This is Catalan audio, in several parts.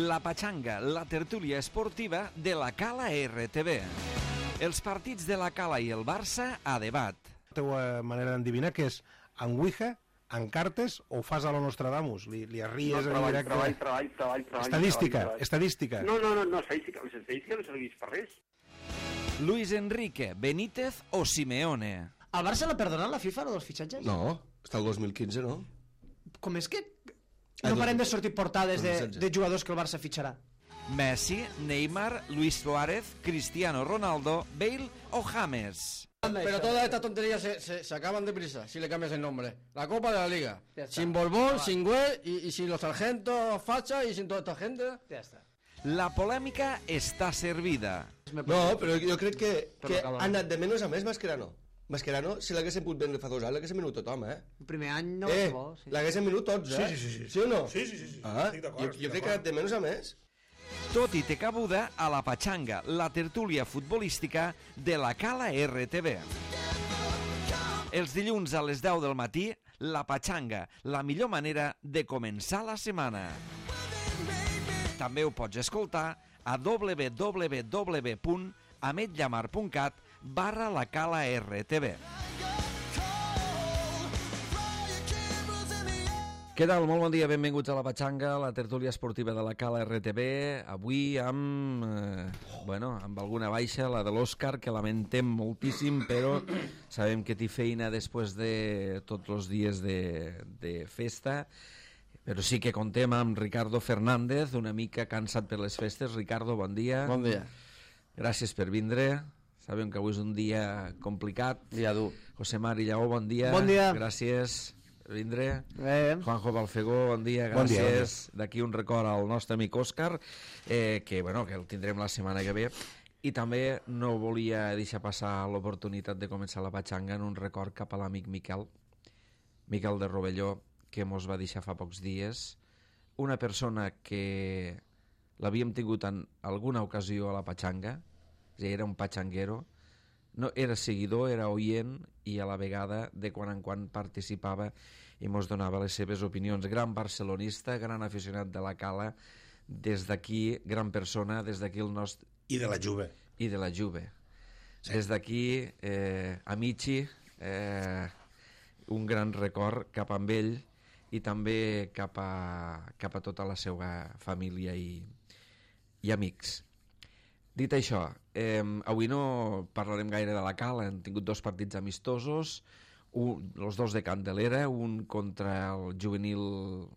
La Pachanga, la tertúlia esportiva de la Cala RTV. Els partits de la Cala i el Barça a debat. La teva manera d'endevinar que és en Ouija, en cartes o fas a lo Nostradamus? Li arries en directe? Treball. Estadística. No, estadística. L'estadística no serveix per res. Luis Enrique, Benítez o Simeone. Al Barça l'ha perdonat la FIFA, dels fitxatges? No, està el 2015, no? Com és que no parem de sortir portades de jugadors que el Barça fitxarà? Messi, Neymar, Luis Suárez, Cristiano Ronaldo, Bale o James. Pero todas estas tonterías se acaban deprisa si le cambias el nombre. La Copa de la Liga. Sin Vale. Borbón, sin Güell y sin los sargentos Facha y sin toda esta gente. Ja està. La polèmica està servida. No, però jo crec que ha anat de menys a més Mascherano. Mascherano, si l'haguessin pogut vendre fa 2 anys, l'haguessin venut tothom, El primer any no va ser bo. Sí. L'haguessin venut tots, Sí. Sí o no? Sí. Ah, Estic d'acord, jo crec que ha anat de menys a més. Tot i té cabuda a la Pachanga, la tertúlia futbolística de la Cala RTV. Els dilluns a les 10 del matí, la Pachanga, la millor manera de començar la setmana. També ho pots escoltar a www.ametllamar.cat/la Cala RTV. Què tal? Molt bon dia, benvinguts a la Pachanga, la tertúlia esportiva de la Cala RTV. Avui amb alguna baixa, la de l'Òscar, que lamentem moltíssim, però sabem que té feina després de tots els dies de festa. Però sí que contem amb Ricardo Fernández, una mica cansat per les festes. Ricardo, bon dia. Bon dia. Gràcies per vindre. Sabem que avui és un dia complicat. Dia dur. José Mari Lleó, bon dia. Bon dia. Gràcies per vindre. Juanjo Balfegó, bon dia. Bon dia, Gràcies. D'aquí un record al nostre amic Òscar, que el tindrem la setmana que ve. I també no volia deixar passar l'oportunitat de començar la Pachanga en un record cap a l'amic Miquel de Rovelló, que mos va deixar fa pocs dies. Una persona que l'havíem tingut en alguna ocasió a la Pachanga, era un pachanguero, no, era seguidor, era oient i a la vegada de quan en quan participava i mos donava les seves opinions. Gran barcelonista, gran aficionat de la Cala, des d'aquí, gran persona, des d'aquí el nostre... I de la Juve. I de la Juve. Sí. Des d'aquí, Amici, un gran record cap amb ell i també cap a tota la seva família i amics. Dit això, avui no parlarem gaire de la Cala. Hem tingut 2 partits amistosos, els 2 de Candelera, un contra el juvenil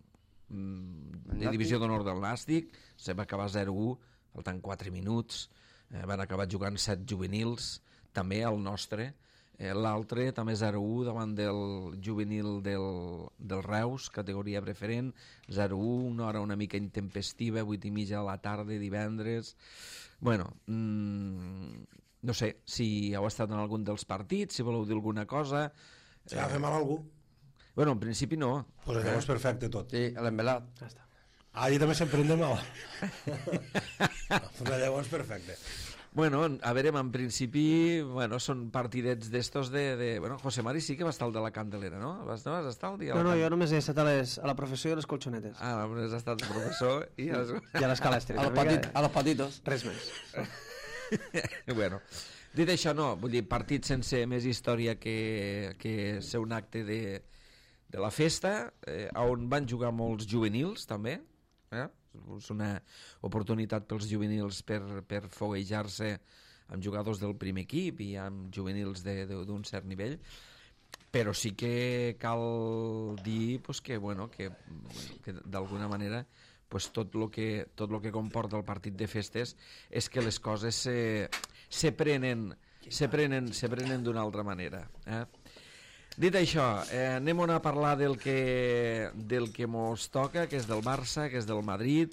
de divisió d'honor del Nàstic, se va acabar 0-1, faltant 4 minuts, van acabar jugant 7 juvenils, també el nostre. L'altre també 0-1 davant del juvenil del Reus, categoria preferent, 0-1, una hora una mica intempestiva, 8:30 de la tarda, divendres. Bueno, no sé si heu estat en algun dels partits, si voleu dir alguna cosa. Si va fer mal a algú? Bueno, en principi no. Pues llavors perfecte tot. Sí, l'embelat. Ja està. Ahí també se'n prende mal. Llavors perfecte. Bueno, a veure, en principi, són partidets d'estos de... José Mari sí que va estar al de la Candelera, no? Vas estar al dia? No, jo només he estat a la professor i a les colxonetes. Ah, només has estat el professor i a les... I a l'escala estreta. A los patitos. Res més. Bueno, dit això, no, vull dir, partit sense més història que ser un acte de la festa, on van jugar molts juvenils, també, és una oportunitat pels juvenils per foguejar-se amb jugadors del primer equip i amb juvenils d'un cert nivell, però sí que cal dir que d'alguna manera tot el que comporta el partit de festes és que les coses se prenen d'una altra manera. Dit això, anem a parlar del que mos toca, que és del Barça, que és del Madrid.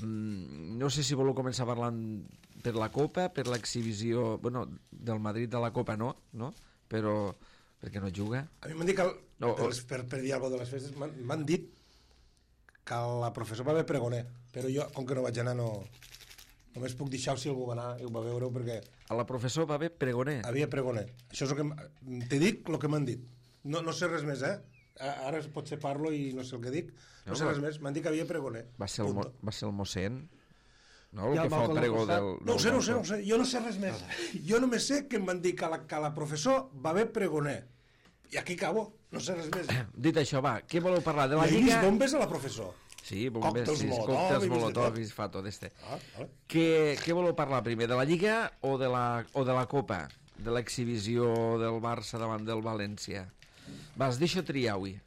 No sé si voleu començar parlant per la Copa, per l'exhibició... del Madrid de la Copa no? Però perquè no juga. A mi m'han dit que, per dir alguna cosa de les festes, m'han dit que la professor va haver pregoner, però jo, com que no vaig anar, només puc deixar si algú va anar i ho va veure, perquè... A la professor va haver pregoner? Havia pregoner. Això és el que... Te dic el que m'han dit. No sé res més, ara potser parlo i no sé el que dic, no sé res més, m'han dit que havia pregoner. Va ser el mossèn, no? I El el que fa el balcó pregó del del... No ho sé, jo no sé res més. Jo només sé que em van dir que la professor va haver pregoner. I aquí acabo, no sé res més. Dit això, va, què voleu parlar? De la I he vist Lliga... bombes a la professor. Sí, bombes, Còctels sí, Molotov, còctels i Molotov i es fa tot este. Vale. Què voleu parlar primer, de la Lliga o de la Copa? De l'exhibició del Barça davant del València? Vas, deixa triar avui.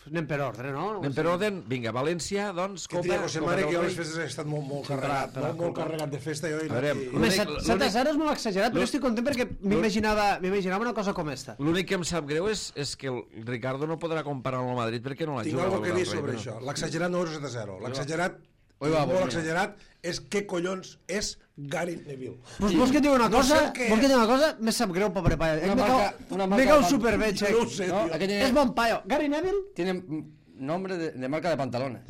Anem per ordre, no? Anem per ordre, vinga, València, doncs, Que Copa... tria José Mare, del que jo a Rei. les festes he estat molt carregat, molt carregat de festa. Jo, A veure, Home, 7-0 és molt exagerat, però estic content perquè m'imaginava una cosa com esta. L'únic que em sap greu és que el Ricardo no podrà comparar amb el Madrid perquè no l'ha tinc jugat. alguna cosa a dir el Rei, sobre però- això. L'exagerat no és 7-0. L'exagerat, Oi, va, molt mira. exagerat, és què collons és Gary Neville. Vols que et digui una No cosa? sé el que Vols que et és. digui una cosa? Me sap greu, pobre paio. Una marca Me cau de superbé, Jo xec. no ho sé, No, tio. aquí tiene, És bon paio. Gary Neville? tiene nombre de marca de pantalones.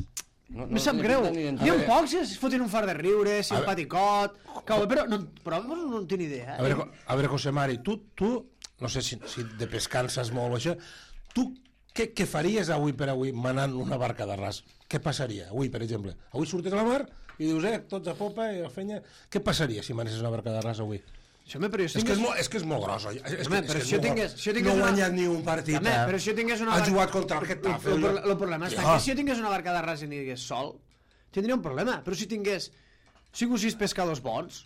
No, Me sap tiene greu. pinta ni Hi ha identitat. pocs que es fotin un fart de riure, simpaticot... Però no en tinc ni idea. A veure, José Mari, tu no sé si de pescar saps molt o això, tu què faries avui per avui manant una barca de ras? Què passaria avui, per exemple? Avui surtes a la mar i dius, tots a popa i a fenya... Què passaria si manessis una barca de ras avui? Això, home, però jo És que és molt gros, oi? Home, però si jo tingués no ha guanyat ni un partit. Home, però si jo tingués una... Ha jugat contra el Getafe. El problema està que si jo tingués una barca de ras i n'hi hagués sol, tindria un problema. Però si tingués 5 o 6 pescadors bons,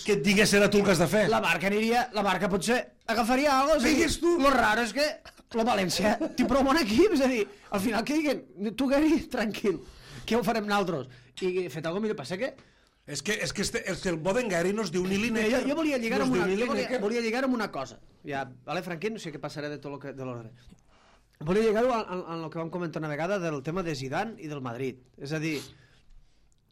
Que et digués era tu el que has de fer. la barca potser agafaria alguna cosa. Digues tu. Lo raro és que la València té prou bon equip, és a dir, al final que diguen, tu Gary, tranquil, què ho farem nosaltres? I fet alguna millor, passa que... És que el Boden Gary no es diu ni Lineker. Jo volia lligar no es amb diu una, ni jo Lineker. volia lligar amb una cosa. Ja, vale, Franquín, no sé què passarà de tot de l'ordre. Volia lligar-ho en el que vam comentar una vegada del tema de Zidane i del Madrid. És a dir,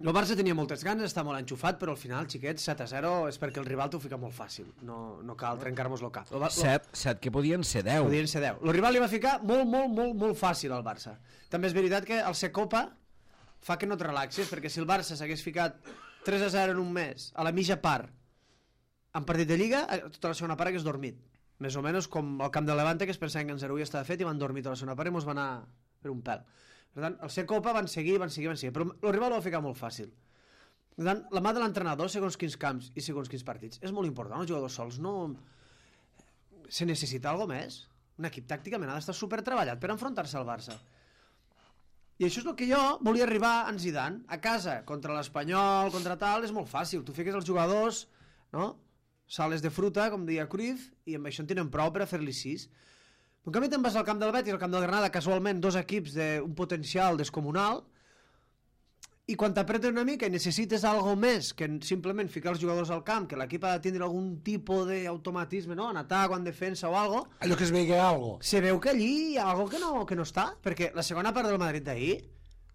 el Barça tenia moltes ganes, està molt enxufat, però al final, xiquets, 7-0 és perquè el rival t'ho fica molt fàcil. No cal trencar-nos el cap. 7, que podien ser 10. Podien ser 10. El rival li va ficar molt fàcil al Barça. També és veritat que el ser Copa fa que no et relaxis, perquè si el Barça s'hagués ficat 3-0 en un mes, a la mitja part, en partit de Lliga, tota la segona part hagués dormit. Més o menys com el camp de Levante, que es pensaven que en 0 ja estava fet i van dormir tota la segona part i mos va anar per un pèl. Per tant, el ser Copa van seguir, però el rival ho va ficar molt fàcil. Per tant, la mà de l'entrenador, segons quins camps i segons quins partits, és molt important. Els jugadors sols no... Se necessita alguna més. Un equip tàcticament ha d'estar supertreballat per enfrontar-se al Barça. I això és el que jo volia arribar en Zidane. A casa, contra l'Espanyol, contra tal, és molt fàcil. Tu fiques els jugadors, no? Sales de fruta, com deia Cruyff, i amb això en tenen prou per a fer-li 6. En canvi te'n vas al camp del Betis, al camp del Granada, casualment 2 equips d'un potencial descomunal, i quan t'apreten una mica i necessites algo més que simplement ficar els jugadors al camp, que l'equip ha de tindre algun tipus d'automatisme, no? En atac o en defensa o algo, Allò que es veia algo. se veu que allí hi ha algo que no està, perquè la segona part del Madrid d'ahir,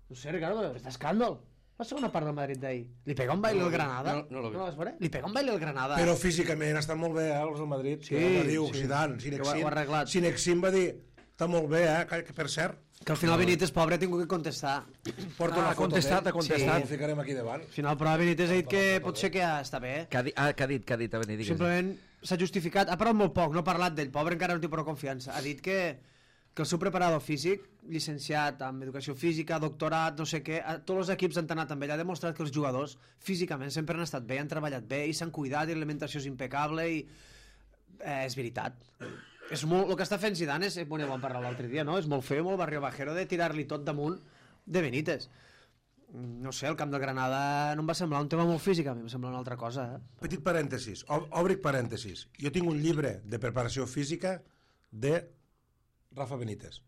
no sé, Ricardo, però està escàndol. La segona part del Madrid d'ahir. Li pega un baile al Granada. no l'ho vi. vas veure? Li pega un baile al Granada. Però físicament estan molt bé, els del Madrid. Sí, Que va dir sí. Zidane, Que ho ha arreglat. Sinexin va dir, està molt bé, que per cert, Que al final Benítez, pobre, ha tingut que contestar. porta una Ha foto contestat, d'ell. ha contestat. Sí, ho ficarem aquí davant. Al final, però Benítez ha dit que potser que està bé. Què ha dit a venir? Simplement s'ha justificat, ha parlat molt poc, no ha parlat d'ell, pobre encara no té prou confiança. Ha dit que el seu preparador físic, llicenciat en educació física, doctorat, no sé què, tots els equips han anat amb ell, ha demostrat que els jugadors físicament sempre han estat bé, han treballat bé i s'han cuidat i l'alimentació és impecable i és veritat. És molt, el que està fent Zidane és, bueno, ja vam parlar l'altre dia, no? És molt feo, molt barrio bajero de tirar-li tot damunt de Benítez. No sé, el camp del Granada no em va semblar un tema molt físic, a mi em sembla una altra cosa, Petit parèntesis, obric parèntesis. Jo tinc un llibre de preparació física de Rafa Benítez.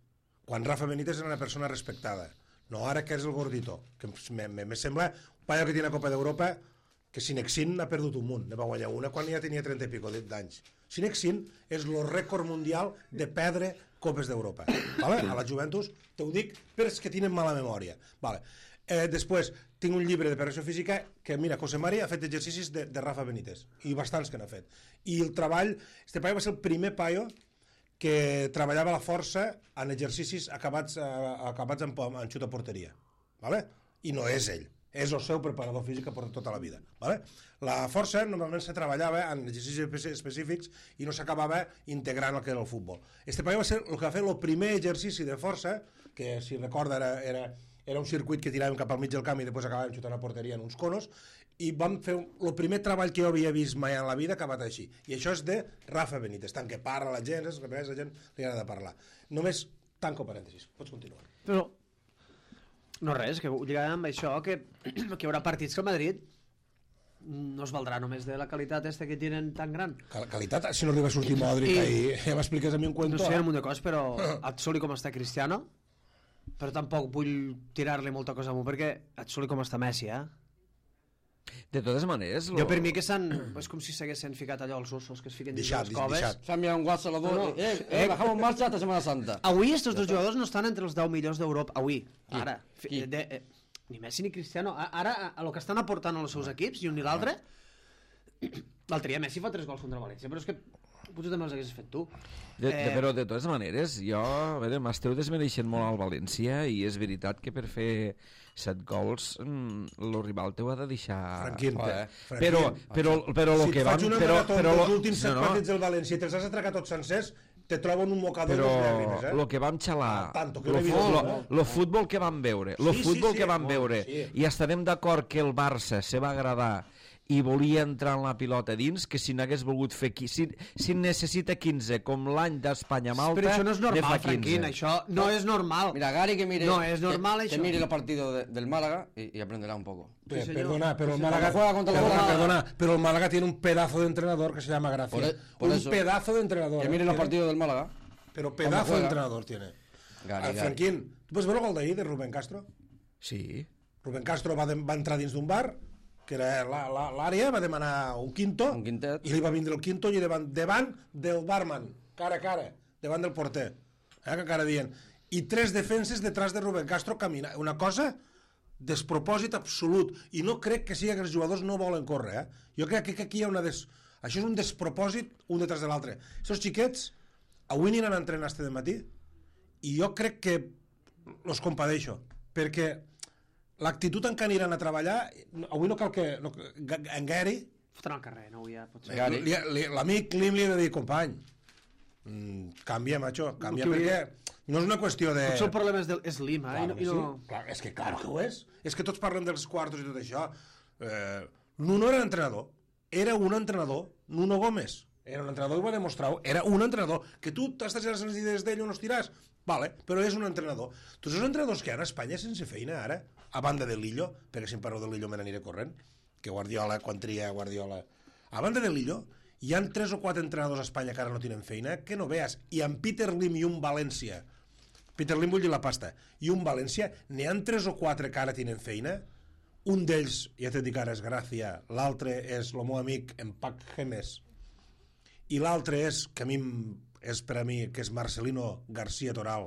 Quan Rafa Benítez era una persona respectada. No ara que és el gordito. Que me sembla un paio que tiene la Copa d'Europa que Sinexin ha perdut un munt. Ne va guanyar una quan ja tenia 30 i pico d'anys. Sinexin és el rècord mundial de perdre Copes d'Europa. Vale? A la Juventus, te ho dic, però és que tenen mala memòria. Vale. Després, tinc un llibre de preparació física que, mira, José Mari ha fet exercicis de Rafa Benítez, i bastants que n'ha fet. I el treball, este paio va ser el primer paio que treballava la força en exercicis acabats en xut a porteria. Vale? I no és ell. És el seu preparador físic per tota la vida. Vale? La força normalment se treballava en exercicis específics i no s'acabava integrant el que era el futbol. Este paio va ser el que va fer el primer exercici de força, que si recorda era un circuit que tiràvem cap al mig del camp i després acabàvem xutant a porteria en uns conos, i vam fer el primer treball que jo havia vist mai en la vida acabat així. I això és de Rafa Benítez, tant que parla la gent, la gent li agrada parlar. Només tanco parèntesis, pots continuar. Però no res, que ho lligàvem amb això, que hi haurà partits que el Madrid no es valdrà només de la qualitat que tenen tan gran. Qualitat, si no arriba a sortir Modric ahir, ja m'expliques a mi un cuento. No sé, un munt de coses, però et soli com està Cristiano, però tampoc vull tirar-li molta cosa amunt, perquè et soli com està Messi, De totes maneres... Jo per mi que s'han... És com si s'haguessin ficat allò als ossos que es fiquen dins les coves. Se han enviado un WhatsApp a los dos. Bajamos en marcha hasta Semana Santa. Avui estos dos jugadors no estan entre els 10 millors d'Europa. Avui, ara. Qui? Ni Messi ni Cristiano. Ara, a lo que estan aportant als seus equips, i un i l'altre... L'altre dia Messi fa 3 gols contra València, però és que potser també els haguessis fet tu. Però de totes maneres, jo, a veure, m'esteu desmereixent molt al València i és veritat que per fer 7 gols el rival t'ho ha de deixar... Franquín. Però el si que vam... Si et faig una marató dels últims 7 partits del València i te'ls has atracat tots sencers, te trobo en un mocador però de llàgrimes, el que vam xalar, el futbol que vam veure, i estarem d'acord que el Barça se va agradar i volia entrar en la pilota dins, que si n'hagués volgut fer... Si necessita 15, com l'any d'Espanya-Malta... Però això no és normal, Franquín, això no és normal. Mira, Gary que mire... No és normal, que mire el partido del Málaga y aprenderá un poco. Perdona, pero el Málaga... Pero el Málaga tiene un pedazo de entrenador que se llama Gracia. Un pedazo de entrenador. Que mire los partidos del Málaga. Pero pedazo de entrenador tiene. Franquín, ¿tú puedes ver el gol d'ahir de Rubén Castro? Sí. Rubén Castro va entrar dins d'un bar, que era l'àrea, va demanar un quintet, i li va vindre el quinto i davant del barman, cara a cara, davant del porter, que encara dient, i 3 defenses detrás de Rubén Castro caminant, una cosa despropòsit absolut, i no crec que sigui que els jugadors no volen córrer, jo crec que aquí hi ha això és un despropòsit un detrás de l'altre. Aquests xiquets avui aniran a entrenar este dematí i jo crec que els compadeixo, perquè l'actitud en què aniran a treballar, avui no cal que... En Gary... Foten al carrer, no ja pot ser. L'amic Lim li ha de dir, company, canvia, macho, canvia, perquè no és una qüestió de... Potser el problema és Lim, És que clar que ho és. És que tots parlen dels quartos i tot això. Nuno era entrenador. Era un entrenador, Nuno Gómez. Era un entrenador i va demostrar-ho. Era un entrenador. Que tu t'estàs a les idees d'ell o no estiràs? Vale, però és un entrenador. Tots els entrenadors que hi ha a Espanya sense feina ara, a banda de Lillo, perquè si em parlo de Lillo me n'aniré corrent, que Guardiola, quan tria Guardiola... A banda de Lillo, hi han 3 o 4 entrenadors a Espanya que ara no tenen feina, que no veas. I amb Peter Lim i un València, Peter Lim vull dir la pasta, i un València, n'hi han 3 o 4 que ara tenen feina. Un d'ells, ja t'he dit que ara és Gràcia, l'altre és el meu amic Empac Gemes, i l'altre és, que a mi és per a mi, que és Marcelino García Toral,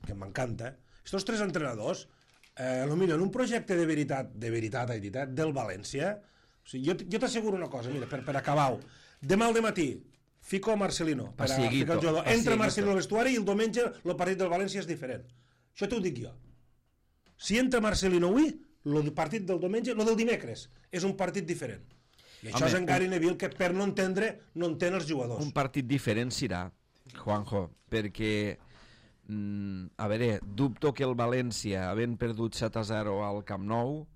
que m'encanta. Estos 3 entrenadors, potser en un projecte de veritat del València, o sigui, jo t'asseguro una cosa, mira, per acabar-ho, demà al dematí fico Marcelino per a ficar el jugador, entra Marcelino al vestuari i el diumenge el partit del València és diferent. Això t'ho dic jo. Si entra Marcelino avui, el partit del diumenge, el del dimecres, és un partit diferent. I això és en Gary Neville, que per no entendre no entén els jugadors. Un partit diferent serà, Juanjo, perquè a veure, dubto que el València, havent perdut 7-0 al Camp Nou,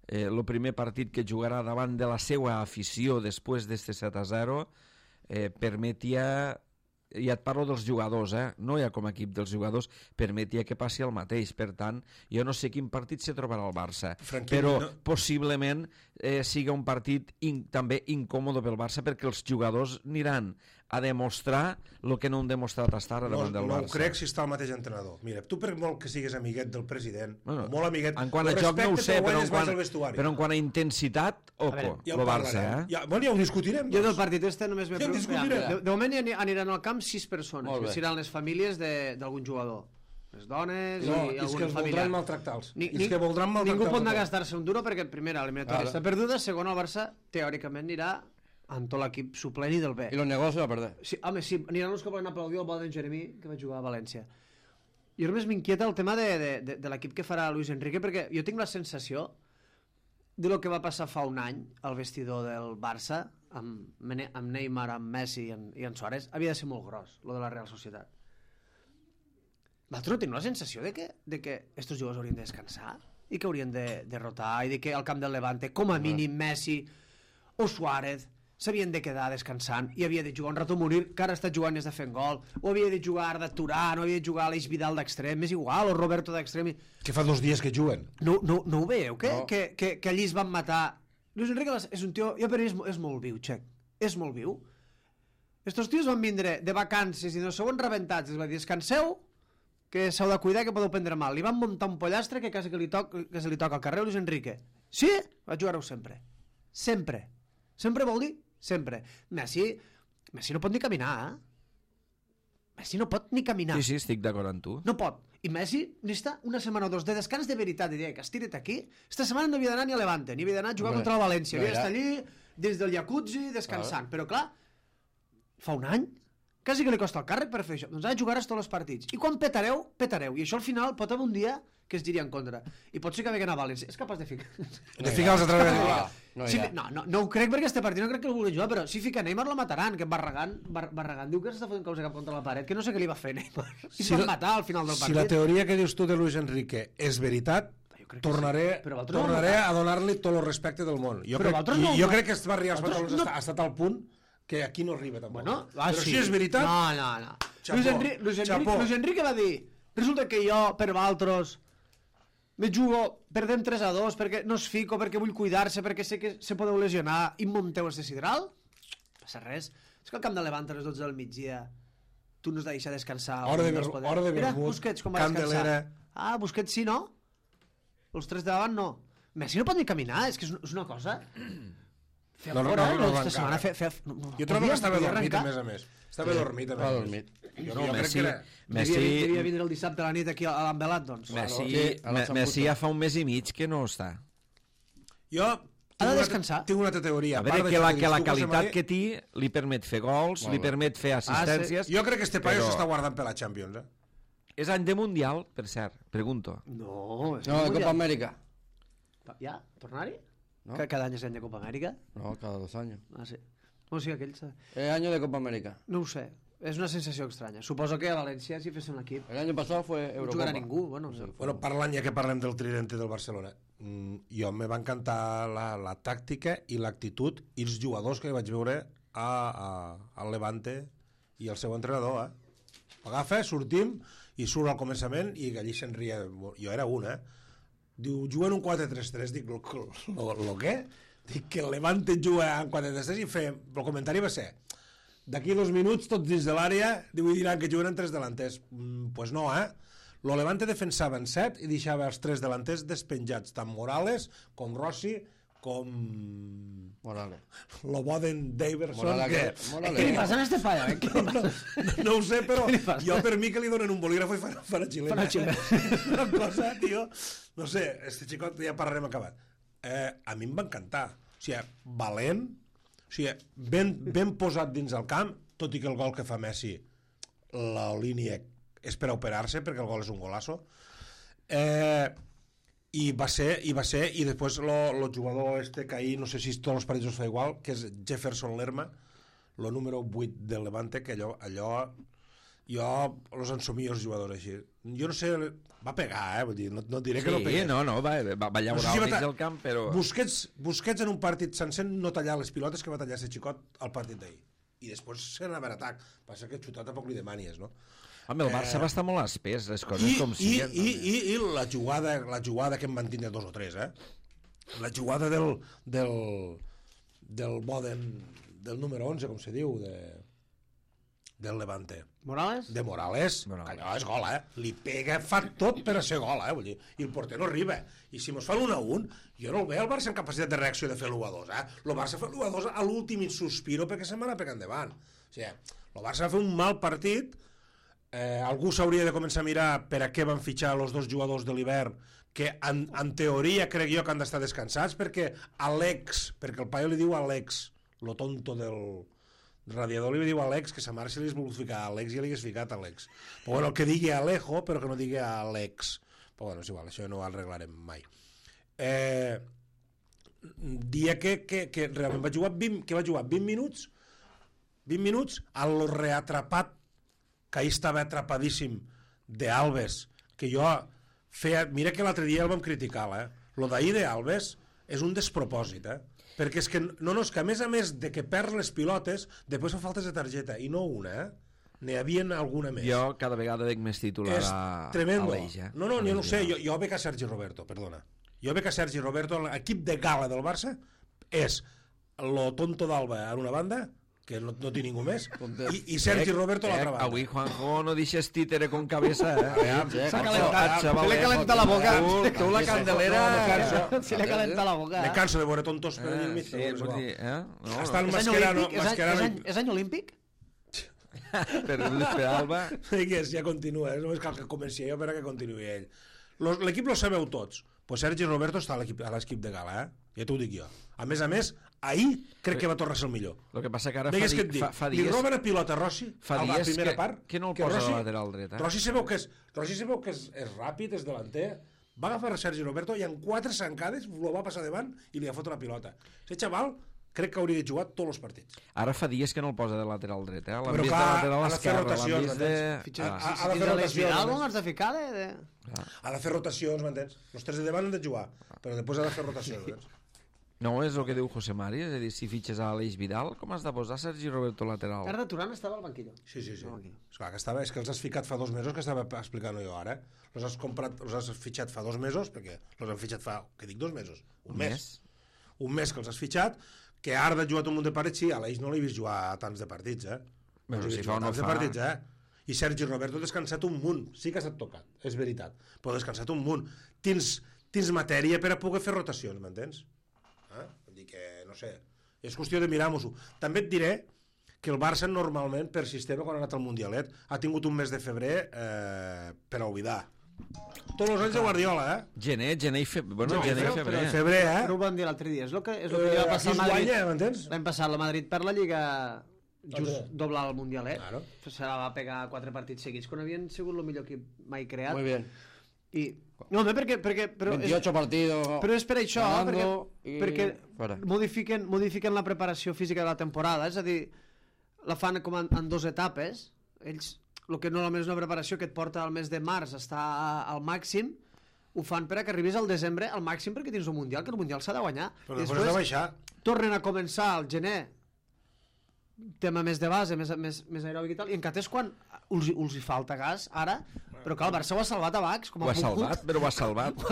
el primer partit que jugarà davant de la seva afició després d'este 7-0 permetia, ja et parlo dels jugadors, no ja com a equip dels jugadors, permetia que passi el mateix. Per tant, jo no sé quin partit se trobarà el Barça, però possiblement siga un partit també incòmode pel Barça, perquè els jugadors aniran a demostrar el que no han demostrat fins ara davant del Barça. No ho crec si està el mateix entrenador. Mira, tu per molt que sigues amiguet del president, molt amiguet, en quant a joc no ho sé, però en quant a intensitat, oco, el Barça. Bueno, ja ho discutirem. Jo del partit este només m'he preocupat. De moment aniran al camp 6 persones, que seran les famílies d'algun jugador. Les dones i algun familiar. És que voldran maltractar-los. Ningú pot anar a gastar-se un duro perquè, primera, l'eliminatòria està perduda, segona, el Barça teòricament anirà amb tot l'equip suplent i del B. I los negocios a perder. Sí, home, sí, aniran els que volen aplaudir el bo d'en Jeremí, que va jugar a València. Jo només m'inquieta el tema de l'equip que farà Luis Enrique, perquè jo tinc la sensació de lo que va passar fa un any al vestidor del Barça amb Neymar, amb Messi i en Suárez havia de ser molt gros, lo de la Real Societat. Vosaltres no teniu la sensació de que estos jugadors haurien de descansar i que haurien de rotar i de que al camp del Levante, com a mínim Messi o Suárez s'havien de quedar descansant i havia de jugar un rato a morir, que ara està jugant i està fent gol, o havia de jugar de Turán, o havia de jugar l'Eix Vidal d'extrem, és igual, o Roberto d'extrem. Que fa 2 dies que juguen. No ho veieu, que allí es van matar? Luis Enrique és un tio, jo per mi és molt viu, Xec, és molt viu. Estos tios van vindre de vacances i no sou rebentats, es va dir, descanseu, que s'heu de cuidar, que podeu prendre mal. Li van muntar un pollastre que quasi que se li toca al carrer Luis Enrique. Sí? Va jugar-ho sempre. Sempre. Sempre vol dir sempre. Messi no pot ni caminar, Messi no pot ni caminar. Sí, estic d'acord amb tu. No pot. I Messi necessita una setmana o 2 de descans de veritat. Diria que estira't aquí. Esta setmana no havia d'anar ni a Levante, ni havia d'anar a jugar contra el València. Havia d'estar allí, dins del jacuzzi, descansant. Però clar, fa un any, quasi que li costa el càrrec per fer això. Doncs ha de jugar tots els partits. I quan petareu, petareu. I això al final pot haver un dia que es giria en contra. I pot ser que veguen a València. És capaç de ficar... De ficar els altres vegades. No ho crec perquè este partit no crec que el vulgui jugar, però si fica Neymar la mataran, que Barragán diu que s'està fotent colze cap contra la paret, que no sé què li va fer Neymar. I van matar al final del partit. Si la teoria que dius tu de Luis Enrique és veritat, tornaré a donar-li tot el respecte del món. Jo crec que Esbarri als Pantalons ha estat al punt que aquí no arriba tampoc. Però si és veritat... No. Luis Enrique va dir, resulta que jo, per vosaltres, me jugo, perdem 3-2 perquè no es fico, perquè vull cuidar-se, perquè sé que se podeu lesionar i munteu este sidral? No passa res. És que al camp de Levante a les 12 del migdia tu no has de deixar descansar. Hora de vermut, mira, Busquets com va descansar. Candelera. Busquets sí, no? Els 3 de davant no. Messi no pot ni caminar, és que és una cosa... Jo trobo que estava dormit, a més. Estava dormit, a més. No, Messi devia vindre el dissabte a la nit aquí a l'Ambelat, doncs. Messi ja fa un mes i mig que no està. Jo ha de descansar. Tinc una altra teoria. A veure, que la qualitat que té li permet fer gols, li permet fer assistències... Jo crec que este paio s'està guardant per la Champions, És any de Mundial, per cert, pregunto. No, de Copa Amèrica. Ja? Tornar-hi? ¿No? ¿Cada año es año de Copa América? No, cada 2 años. Ah, sí. No, sí, aquell... Año de Copa América. No ho sé. És una sensació estranya. Suposo que a València si fes un equip... El año pasado fue Eurocopa. No jugarà ningú. Bueno, parlant, ja que parlem del tridente del Barcelona, jo me va encantar la tàctica i l'actitud i els jugadors que vaig veure al Levante i el seu entrenador, Agafa, sortim i surt al començament i allí se'n ria. Jo era un, Diu, juguen un 4-3-3. Dic, lo què? Dic que el Levante juga en 4-3-3 i el comentari va ser d'aquí 2 minuts, tots dins de l'àrea, diran que juguen en 3 delanters. Pues no, Lo Levante defensava en 7 i deixava els 3 delanters despenjats, tant Morales com Rossi com... Morales. Lo Boden Daverson. Què li passa a este paio? No ho sé, però jo per mi que li donen un bolígrafo i fan a xilena. Una cosa, tio... No sé, este xicot ja parlarem acabat. A mi em va encantar. O sigui, valent, o sigui, ben posat dins el camp, tot i que el gol que fa Messi, la línia és per a operar-se, perquè el gol és un golazo. I va ser, i després el jugador que ahir, no sé si tots els partits us fa igual, que és Jefferson Lerma, el número 8 del Levante, que allò jo els ensomio els jugadors així. Jo no sé, va pegar, vull dir, no diré que no pegués. Va llaurar al mig del camp, però... Busquets en un partit sencer no tallar les pilotes que va tallar ese xicot al partit d'ahir. I després se n'anava a atac. Passa que xutar tampoc li demanies, no? Home, el Barça va estar molt espès, les coses com siguen. I la jugada que em van tindre 2 o 3, La jugada del Boden, del número 11, com se diu, del Levante. Morales? De Morales. Allò és gol, Li pega, fa tot per a ser gol, vull dir. I el porter no arriba. I si mos fa l'1-1, jo no el veig el Barça en capacitat de reacció de fer l'1-2, El Barça fa l'1-2 a l'últim sospiro perquè se'n va anar pegant davant. O sigui, el Barça va fer un mal partit. Algú s'hauria de començar a mirar per a què van fitxar els 2 jugadors de l'hivern que en teoria crec jo que han d'estar descansats perquè perquè el paio li diu Alex, lo tonto del radiador li diu Alex, que sa mare se li has volgut ficar Alex i li hagués ficat Alex. Però bueno, el que digui Alejo però que no digui Alex. Però bueno, és igual, això no ho arreglarem mai. dia que realment vaig jugar 20 minuts, 20 minuts, al reatrapat, que ahir estava atrapadíssim, d'Alves, que jo feia... Mira que l'altre dia el vam criticar, lo d'ahir d'Alves és un despropòsit, perquè és que, és que a més de que perd les pilotes, després fa faltes de targeta, i no una, n'hi havia alguna més. Jo cada vegada veig més titular és a l'Eix. No, jo no ho sé, jo veig a Sergi Roberto, perdona. Jo veig a Sergi Roberto, l'equip de gala del Barça és lo tonto d'Alba a una banda, que no té ningú més, i Sergi Roberto a l'altra banda. Avui Juanjo no deixes títere con cabeza, S'ha calentat, se li ha calentat la boca. Tu la candelera... Se li ha calentat la boca. Me canso de veure tontos per allà al mig. Sí, vull dir... Està el Mascherano... És any olímpic? Per Alba... Digues, ja continua, només cal que comenci jo per a que continuï ell. L'equip lo sabeu tots, pues Sergi Roberto està a l'equip de gala, ja t'ho dic jo. A més, ahir crec que va tornar a ser el millor. El que passa que ara fa dies... Li roben a pilota Rossi fa a la dies primera part. Que no el posa Rossi, a lateral dret. Rossi sabeu que és ràpid, és delanter, va agafar a Sergi Roberto i en 4 zancades lo va passar davant i li ha fotut la pilota. Aquest xaval crec que hauria de jugar tots els partits. Ara fa dies que no el posa de lateral dret, l'han Però vist de lateral esquerre, l'han vist de... Ha de fer rotacions. Has de ficar Ha de fer rotacions, m'entens? Els 3 de davant han de jugar, però després ha de fer rotacions. No, és el que diu José Mari, és a dir, si fitxes a Aleix Vidal, com has de posar Sergi Roberto lateral? Arda Turan estava al banquillo. Sí. Esclar, és que els has ficat fa 2 mesos, que estava explicant jo ara. Els has fitxat fa 2 mesos, perquè els han fitxat fa, que dic 2 mesos? Un mes. Un mes que els has fitxat, que Arda ha jugat un munt de partits, sí, a l'Eix no l'he vist jugar a tants de partits, Però si fa o no fa... Partits, I Sergi Roberto ha descansat un munt, sí que ha estat tocat, és veritat, però ha descansat un munt. Tens matèria per a poder fer rotacions, m'entens? Vull dir que, no sé, és qüestió de mirar-nos-ho. També et diré que el Barça normalment, per sistema, quan ha anat al Mundialet, ha tingut un mes de febrer per a oblidar. Tots els anys de Guardiola, Gener i febrer. Febrer, Però ho van dir l'altre dia. És el que li va passar al Madrid. L'any passat la Madrid per la Lliga just doblar el Mundialet. Claro. Se la va pegar 4 partits seguits, quan havien sigut el millor equip mai creat. Muy bien. I... No, perquè 28 partidos. Però és per això, perquè fuera. modifiquen la preparació física de la temporada, és a dir, la fan com en 2 etapes. Ells, el que normalment és una preparació que et porta al mes de març a estar al màxim, ho fan per a que arribis al desembre al màxim perquè tens un Mundial, que el Mundial s'ha de guanyar. Però després has de baixar. Tornen a començar al gener, tema més de base, més aeròbic i tal, i encara és quan us hi falta gas, ara, però que el Barça ho ha salvat a Bax. Ho ha salvat, però ho ha salvat.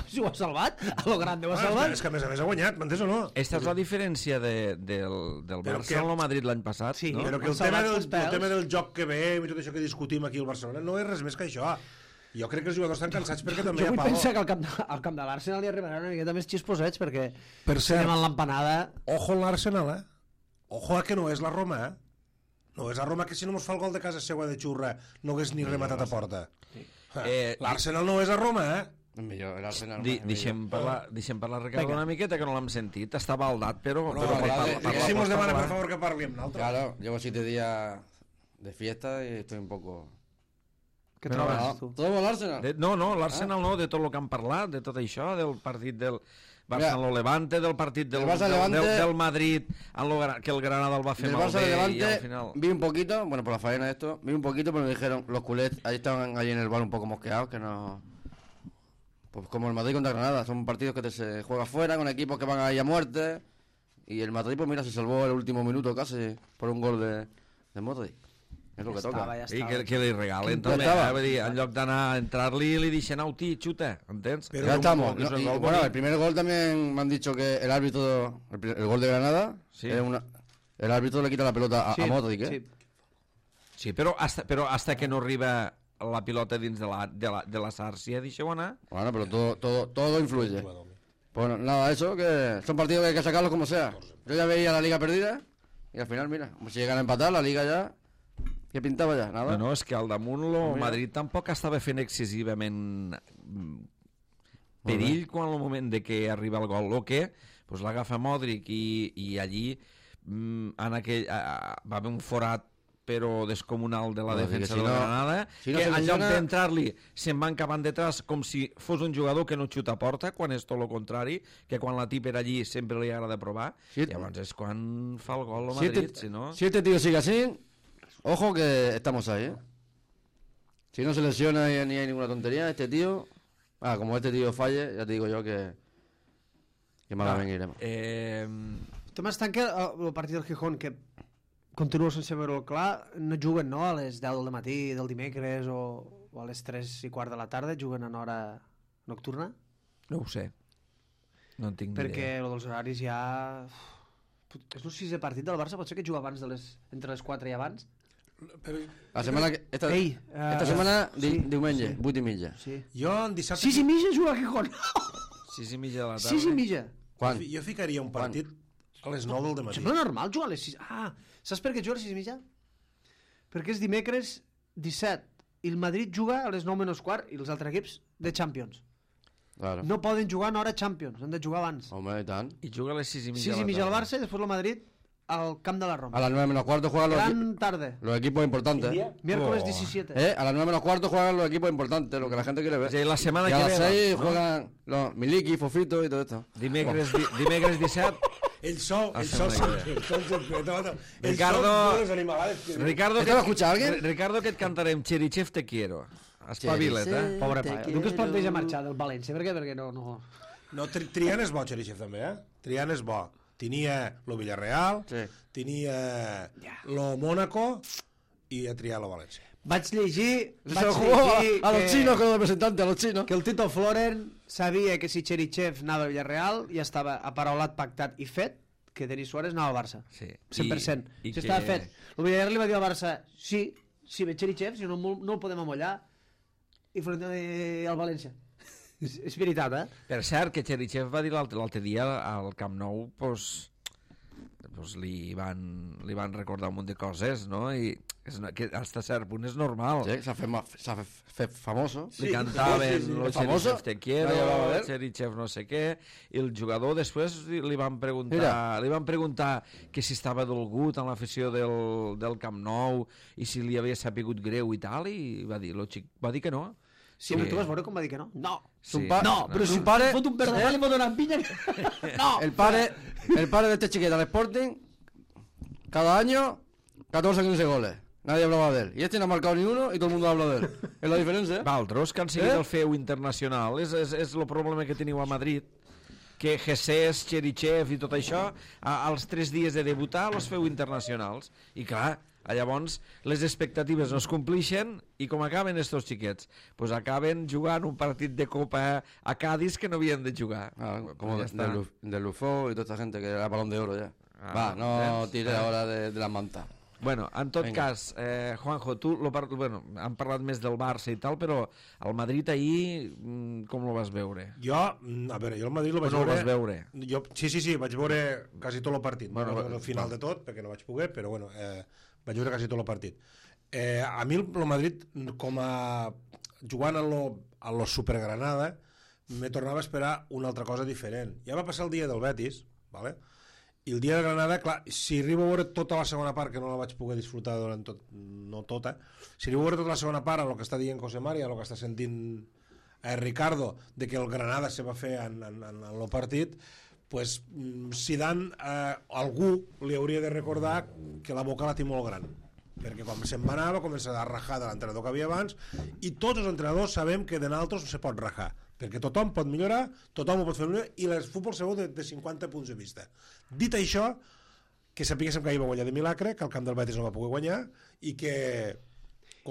Si ho ha salvat, a lo grande ho ha salvat. És que a més ha guanyat, m'entens o no? Esta és la diferència del Barça amb el Madrid l'any passat, sí, no? Però que el tema del joc que veiem i tot això que discutim aquí al Barcelona no és res més que això. Jo crec que els jugadors estan cansats perquè també hi ha pavo. Jo vull pensar que al camp de l'Arsenal hi arribaran una miqueta més xisposets, perquè per cert, anem en l'empanada. Ojo en l'Arsenal, Ojo a que no és la Roma, No és la Roma que si no mos fa el gol de casa seva de xurra no hagués ni rematat a porta. L'Arsenal no és a Roma, Millor, l'Arsenal. Deixem parlar Ricardo una miqueta, que no l'hem sentit. Està baldat, però... Si mos demana, per favor, que parli amb l'altre. Claro, llevo 7 días de fiesta y estoy un poco... Què trobes, tu? Todo el Arsenal. No, l'Arsenal no, de tot el que han parlat, de tot això, del partit del Barça-Levante, del partit del Madrid, que el Granada el va fer malbé y al final... Vi un poquito, bueno, por la faena de esto, vi un poquito, pero me dijeron, los culés, ahí estaban allí en el bar un poco mosqueados, que no... Pues como el Madrid contra Granada, son partidos que se juega fuera, con equipos que van ahí a muerte, y el Madrid, pues mira, se salvó el último minuto casi por un gol de Modric. És el que toca. I que li regalen també, en lloc d'anar a entrar-li, li deixen auti, xuta, entens? Ya estamos. Bueno, el primer gol también me han dicho que el árbitro, el gol de Granada, el árbitro le quita la pelota a Modric, Sí, però hasta que no arriba la pilota dins de la sàrcia, deixeu anar. Bueno, pero todo influye. Pues nada, eso, que son partidos que hay que sacarlos como sea. Yo ya veía la liga perdida y al final, mira, si llegan a empatar, la liga ya... Què pintava ja? Nada? No, és que al damunt el Madrid tampoc estava fent excessivament perill quan el moment de que arriba el gol. O que l'agafa Modric i allí va haver un forat però descomunal de la Bueno, defensa que si de la no- Granada, si no que se en lloc lesiona- d'entrar-li se'n van cavant detrás com si fos un jugador que no xuta a porta, quan és tot el contrari, que quan la tipa era allí sempre li agrada provar, Sí. llavors és quan fa el gol el Si Madrid, este, si no... si este tío sigue así, ojo que estamos ahí, ¿eh? Si no se lesiona ni hay ninguna tontería, este tío... como este tío falle, ya te digo yo que malament irem. El tema està en que el partit del Gijón, que continuo sense veure-ho clar, no juguen, no?, a les 10 del matí del dimecres o a les 3:15 de la tarda, juguen en hora nocturna, No ho sé. No en tinc ni perquè idea. el dels horaris ja... És el 6è partit del Barça, pot ser que juga abans entre les 4 i abans? La setmana que... Esta setmana, diumenge, 8:30. Sí. Jo en dissabte... 6:30 juga a Gijón! 6:30 de la tarda. 6:30! Quan? Jo ficaria un partit a les 9 del dematí. Sembla normal jugar a les 6. Saps per què juga a les 6:30? Perquè és dimecres 17 i el Madrid juga a les 9 menys quart i els altres equips de Champions. Claro. No poden jugar en hora Champions, han de jugar abans. Home, i tant. I juga a les 6:30 6:30 al Barça i després el Madrid al camp de la A Roma. las 9:15 juegan Gran tarde. los equipos importantes. Miércoles Oh. 17. A las 9:15 juegan los equipos importantes, lo que la gente quiere ver. És a dir, la setmana Y a que las ve... 6 no? juegan los Miliki, Fofito y todo esto. Dimecres 17... El sol Ricardo- Ricardo les animalades. Ricardo, ¿Esto lo escucha alguien? Ricardo, que et cantarem Cherichev te quiero. Espavila't, eh? Pobre pa. Tu que es planteja marxar del València? Per què? Perquè no... No, Trian és bo, Cherichev, també, eh? Trian és bo. Tenia lo Villarreal, Sí. tenia lo Mónaco i a triar lo València. Vaig llegir Se lo jugó a los chinos con el representante, a los chinos. que el Tito Floren sabia que si Cherichev anava al Villarreal ja estava aparaulat, pactat i fet que Denis Suárez anava al Barça. Sí. 100%. I Això que- estava fet. El Villarreal li va dir al Barça, sí, ve Cherichev, si no, no el podem amollar, i Floren al València. És veritat, eh? Per cert, que Cherichev va dir l'altre dia al Camp Nou, pues li van recordar un munt de coses, no? I que hasta cert punt és normal. Sí, se ha fet famoso. Li cantaven lo Famoso. Cherichev te quiero, Nadie hablaba de él. Cherichev no sé què, i el jugador després li van preguntar que si estava dolgut en l'afició del Camp Nou i si li havia sapigut greu i tal, i va dir, va dir que no. Sí, però tu vas veure com va dir que no? No! Sí. No, però si Su pare- fot un perdó, li va donar pinya. No! El padre de este chiquito al Sporting, cada año, 14 o 15 goles. Nadie hablaba de él. Y este no ha marcado ni uno y todo el mundo habla de él. Es la diferencia, ¿eh? Valtros, que han seguit el feu internacional, és el problema que teniu a Madrid, que Jesús, Cherichev i tot això, als 3 dies de debutar els feu internacionals. I clar, llavors les expectatives no es complixen i com acaben estos xiquets? Pues acaben jugant un partit de Copa a Cádiz que no havien de jugar. Como Pues ya está. de Lufo y toda esta gente que era balón de oro ya. Ah, Va, no ¿ves? tires ahora de las mantas. Bueno, en tot Vinga. cas, Juanjo, tu han parlat més del Barça i tal, però el Madrid ahir, com lo vas veure? Jo, a veure, jo el Madrid lo vaig no el veure... vas veure? Jo, sí, vaig veure quasi tot el partit. Bueno, Bueno, al final de tot, perquè no vaig poder, però bueno, vaig veure quasi tot el partit. A mi el Madrid, com a jugant a lo Supergranada, me tornava a esperar una altra cosa diferent. Ja va passar el dia del Betis, ¿vale? I el dia de Granada, clar, si arribo a veure tota la segona part, que no la vaig poder disfrutar durant tot, no tota, si arribo a veure tota la segona part amb el que està dient José María, el que està sentint Ricardo, de que el Granada se va fer en el partit, pues Zidane, algú li hauria de recordar que la boca la té molt gran, perquè quan se'n va anar va començar a rajar de l'entrenador que havia abans, i tots els entrenadors sabem que de naltros no se pot rajar, perquè tothom pot millorar, tothom ho pot fer millor, i el futbol se veu de 50 punts de vista. Dit això, que sapiguéssim que ahir va guanyar de milagre, que el camp del Betis no va poder guanyar, i que...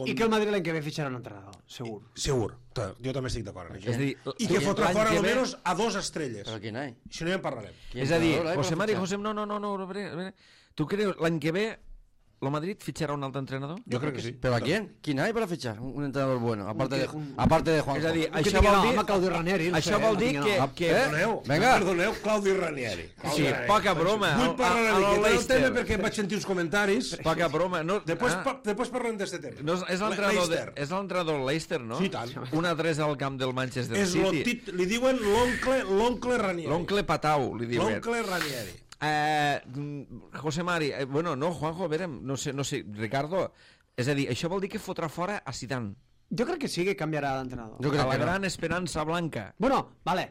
I que el Madrid l'any que ve fitxarà un entrenador, segur. Segur, jo també estic d'acord en això. És a dir, I que fotrà l'any fora que ve- almenys a 2 estrelles. Pero aquí no hay. Si no ja en parlarem. ¿Quién És a dir, entrenador hay José para Mari, fichar? José, no, a veure, tu creus l'any que ve el Madrid fitxarà un altre entrenador? Jo crec que sí. ¿Pero a quién? ¿Quién hay para fichar? Un entrenador bueno, aparte de Juanjo. És a dir, Que això tingui vol nom, dir... home, Claudio Ranieri, no Això sé, vol no dir tingui nom. que... Perdoneu, Vinga. perdoneu, Claudi Ranieri. Sí, poca broma. Vull parlar una miqueta del Leicester. tema perquè vaig sentir uns comentaris. Poca broma. No, Després parlem d'aquest tema. no, és l'entrenador Leicester. és l'entrenador del Leicester, no? Sí, tant. 1-3 al camp del Manchester És City. li diuen l'oncle Ranieri. L'oncle Patau, li diuen. L'oncle Ranieri. José Mari, bueno, no, Juanjo, a veure, no sé, Ricardo, és a dir, això vol dir que fotrà fora a Zidane. Jo crec que sí que canviarà d'entrenador. Jo crec A la que no. gran esperança blanca. Bueno, vale.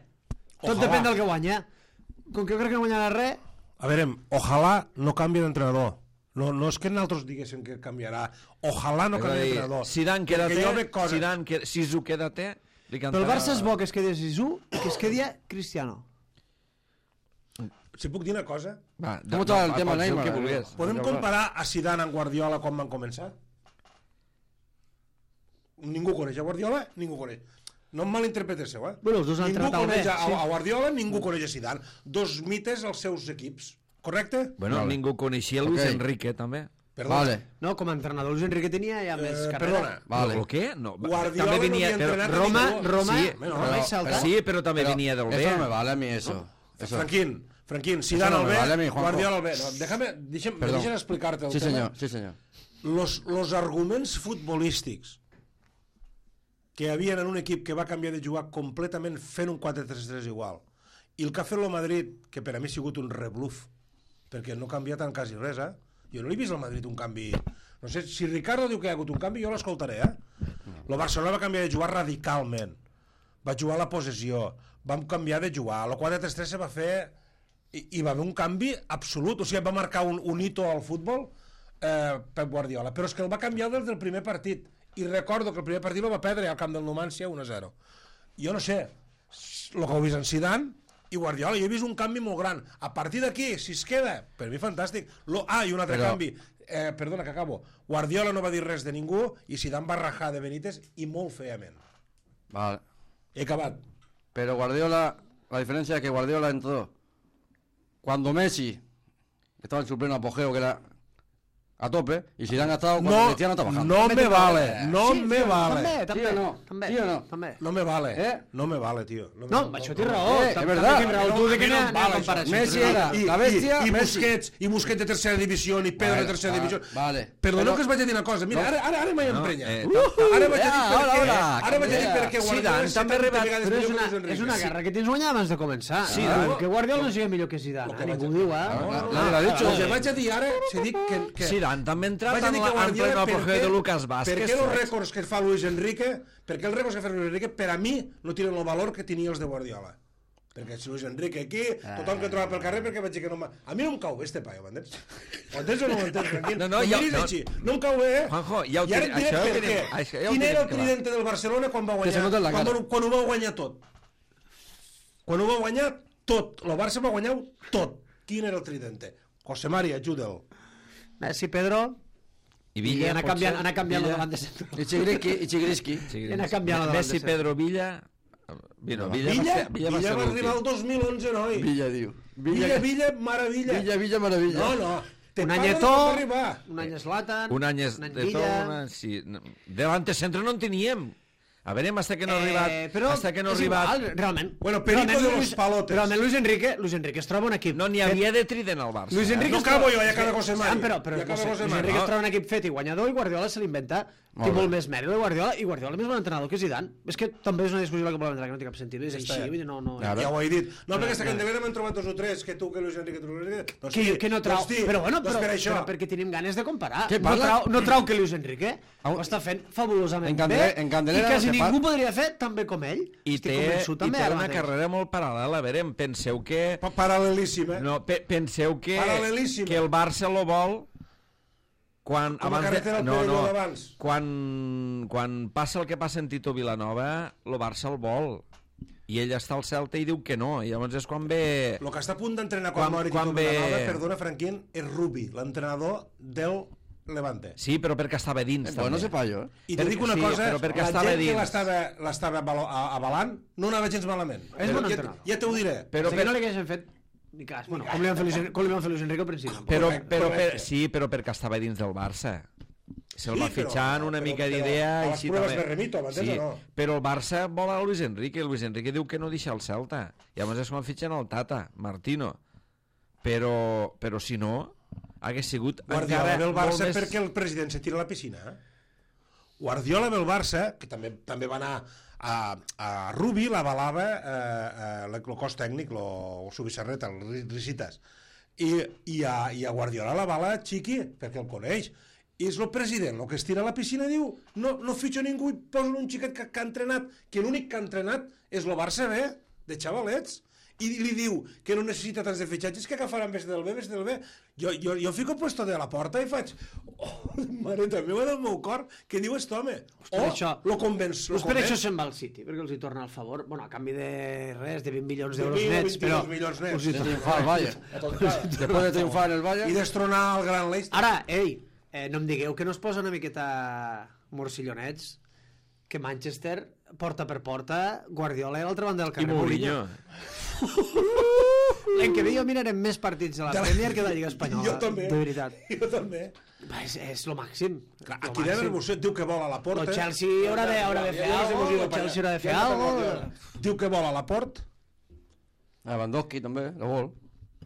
Tot Ojalà. depèn del que guanya. Com que jo crec que no guanyarà res, A veure, ojalà no canvi d'entrenador. No és que nosaltres diguéssim que canviarà. Ojalà no És a canvi dir, d'entrenador. Zidane, Perquè quédate, jo veig coses- Zidane, Sisu, quédate. però el Barça és bo que es quedi Zizou i que es quedi Cristiano. Si puc dir una cosa? Va, Com està el tema Neymar? Que vulguis. Podem comparar a Zidane amb Guardiola com van començar? Ningú coneix a Guardiola, ningú coneix. No em malinterpreteu, eh? Bueno, els dos han Ningú entrat al coneix bé, sí. a Guardiola, ningú coneix a Zidane. Dos mites als seus equips, correcte? Bueno, Vale. ningú coneixia Luis Ok. Enrique, també. Perdona. Vale. No, com a entrenador Luis Enrique tenia ja més carrera. Perdona. Vale. Però què? No, Guardiola també venia, no havia entrenat a Roma, ningú. Roma, Sí, Roma i Celta. Sí, però també venia del bé. Eso no me vale a mí, eso. Eso. Franquín, Zidane no al me bé, vale a mí, Juanjo. Guardiola al bé. No, deixa'm Perdón. explicar-te el Sí, tema. senyor, sí, senyor. Los arguments futbolístics que hi havia en un equip que va canviar de jugar completament fent un 4-3-3 igual, i el que ha fet el Madrid, que per a mi ha sigut un rebluf, perquè no ha canviat en quasi res, eh? Jo no l'he vist al Madrid un canvi... No sé, si Ricardo diu que hi ha hagut un canvi, jo l'escoltaré, eh? El Barcelona va canviar de jugar radicalment. Va jugar a la possessió, vam canviar de jugar, el 4-3-3 se va fer... I va haver un canvi absolut, o sigui, va marcar un hito al futbol Pep Guardiola, però és que el va canviar des del primer partit, i recordo que el primer partit el va perdre al camp del Numancia 1-0. Jo no sé, el que heu vist en Zidane i Guardiola, jo he vist un canvi molt gran. A partir d'aquí, si es queda, per mi fantàstic. I un altre canvi, perdona que acabo, Guardiola no va dir res de ningú i Zidane va rajar de Benítez i molt feament. Vale. He acabat. Pero Guardiola, la diferencia es que Guardiola entró cuando Messi estaba en su pleno apogeo, que era a tope, y Zidane ha estado cuando No, Cristiano está bajando. no me vale, no Sí, me sí, vale. També, Sí o no? també, Sí o no? també. No me vale, ¿Eh? no me vale, tio. No, això té raó. és També verdad. tens raó tu de que no n'hi ha em vale comparació. Messi era la bestia, i Messi. Busquets de tercera divisió i Pedro de tercera divisió. Vale. Perdoneu Però- que us vaig a dir una cosa. Mira, ara m'he emprenyat. ara Ara vaig a dir per què. hola, Ara vaig a dir per què Zidane Guardiola és també 70 arribat, vegades Però millor que Luis és Enrique. una guerra que tens guanyar abans de començar. Sí, no? no? Que Guardiola no sigui millor que Zidane. Ningú ho diu, Nadie lo ha dicho. El que vaig a dir ara, se dic que Zidane també ha entrat vaig a en dir que pleno Guardiola, apogeo de Lucas Vázquez. per què els rècords que fa Luis Enrique, perquè els rècords que fa Luis Enrique, per a mi, no tenen el valor que tenia els de Guardiola. Perquè si Luis Enrique aquí, tothom que troba pel carrer, perquè vaig dir que no a mi no em cau bé este paio, m'entens? Ho entens o no ho entens, tranquil? No, Em ja- miris no. així. No em cau bé, eh? Juanjo, ja ho I ara et tenim- diré això ja ho per tenim- què. això ja ho Quin era el tenim clar. tridente del Barcelona quan va Que se nota en la guanyar? cara. Quan ho va guanyar tot. Quan ho va guanyar tot. El Barça va guanyar tot. Quin era el tridente? José Mari, ajuda'l. Messi, Pedro, I i Villa, anar canviant la davant de centre. Y Chigriski. Sí, Anar canviant la davant Messi, de centre. Pedro, Villa... Villa Villa va ser va arribar el l'últim. 2011, noi. Villa, diu. Villa, maravilla. Villa, maravilla. No. Te Un parlo any de Eto'o, quan va arribar. un any Zlatan, Un any és un any de tot, Villa. sí. Delante centre no en teníem. A veure, hasta que no ha arribat... Però hasta que no ha és arribat... igual, realment. Bueno, Perico Realment, de los palotes. Realment, Luis Enrique es troba un equip... No n'hi havia de trident al Barça. Luis Enrique No es troba- acabo jo, ja acaba José Mari. Però Ja acaba José Luis Mari. Enrique es troba un equip fet i guanyador i Guardiola se l'inventa. Té bé. molt més mèrit de Guardiola i Guardiola és més bon entrenador que Zidane. És que també és una discussió que volem entrar, que no té cap sentit. És així, vull dir, no... Claro. Ja ho he dit. No, perquè hasta que endavant m'han trobat 2 o 3, que tu, que Luis Enrique, doncs Que no trau... Però bueno, doncs per això. però perquè tenim ganes de comparar. Què parla? No trau que Luis Enrique ho està fent fabulosament bé En Candelera i quasi se ningú fa- podria fer tan bé com ell. I Estic té, convençut i també té ara una mateix. carrera molt paral·lela. A veure, penseu que... Paral·lelíssim, eh? No, penseu que Paral·lelíssima. el Barça lo vol quan Com a carretera al Perelló d'abans. quan passa el que passa en Tito Vilanova, el Barça el vol. I ell està al Celta i diu que no. I llavors és quan ve... El que està a punt d'entrenar Quan- quan mori quan Tito ve- Vilanova, perdona, Franquín, és Rubi, l'entrenador del Levante. Sí, però perquè estava dins. Pues no també. sepa yo, I te dic una Sí, cosa, però perquè la estava gent que dins. l'estava avalant no anava gens malament. És bon ja, entrenador. ja t'ho diré. Però, que no li haguessin fet ni cas. Bueno, com li van fer Luis Enrique al principi. Correcte. sí, però perquè estava dins del Barça. Se'l Sí, va fitxar una mica d'idea a i les així proves també. me remito, m'entens o no? Però el Barça vol a Luis Enrique. Luis Enrique diu que no deixa el Celta. I llavors és quan fitxen el Tata, Martino. Però si no, hagués sigut Guardiola ve el molt Barça més... perquè el president se tira a la piscina. Guardiola ve el Barça, que també va anar a Rubi, l'avalava el cos tècnic, el Subissarret, el Risitas. i a Guardiola la bala Chiqui, perquè el coneix. I és el president el que es tira a la piscina i diu no fitxo ningú i posen un xiquet que ha entrenat, que l'únic que ha entrenat és el Barça B, de xavalets, i li diu que no necessita tants de fitxatges, que agafaran vés del B. Jo fico puesto de la porta i faig mareta meva del meu cor, què diu aquest home? Lo convenç. Per això se'n va al City, perquè els hi torna el favor, bueno, a canvi de res, de 20 milions d'euros nets, però... 22 milions nets. De triunfar al Bayern. Después de triunfar en el Bayern. I destronar el gran Leicester. Ara, no em digueu que no es posa una miqueta morcillonets, que Manchester, porta per porta, Guardiola a l'altra banda del carrer. I Mourinho. L'any que ve jo mirarem més partits de la Premier que de la Lliga Espanyola. Jo també. De veritat. Jo també. És lo màxim. Clar, aquí de l'emoció diu que vol a la porta. El Chelsea haurà de fer algo. Diu que vol a la porta. Lewandowski també, la vol.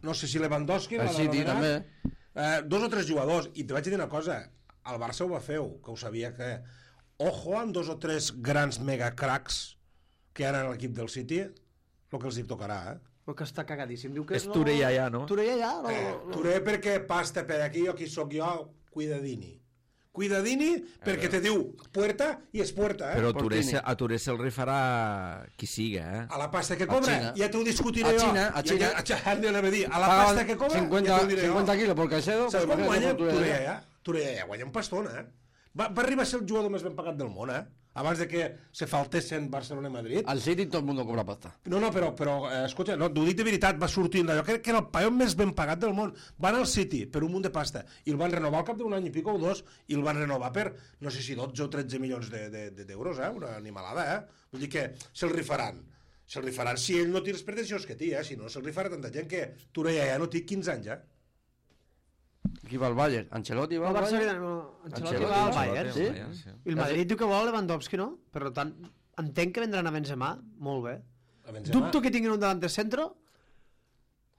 No sé si Lewandowski... El City també. 2 o 3 jugadors. I te vaig dir una cosa. El Barça ho va fer, que ho sabia que... Ojo amb 2 o 3 grans megacracs que hi ha en l'equip del City, el que els hi tocarà, El que està cagadíssim. Diu que És Touré ja, no? Touré ja? Touré perquè pasta per aquí, aquí sóc jo, cuidadini, perquè te diu puerta i és puerta, Però a Touré se'l rifarà qui siga, A la pasta que cobra, ja t'ho discutiré jo. A Xina. A la pasta que cobra, ja t'ho diré jo. 50 kilos por Caicedo. Saps quan guanya Touré allà? Touré allà guanya un pastón, Va arribar a ser el jugador més ben pagat del món, abans de que se faltessin Barcelona i Madrid. Al City todo el mundo cobra pasta. No, però escolta, no, t'ho dic de veritat, va sortint d'allò, que era el paio més ben pagat del món. Van al City per un munt de pasta i el van renovar al cap d'un any i pico o 2 i el van renovar per, no sé si 12 o 13 milions d'euros, una animalada, Vull dir que se'l rifaran. Se'l rifaran si ell no té les pretensions que té, si no se'l rifarà tanta gent que Touré ja no té 15 anys, Qui va al Bayern? Ancelotti va al Bayern? Ancelotti va al Bayern, sí. I el Madrid diu que vol Lewandowski, no? Per tant, entenc que vendran a Benzema, molt bé. Dubto que tinguin un davanter centro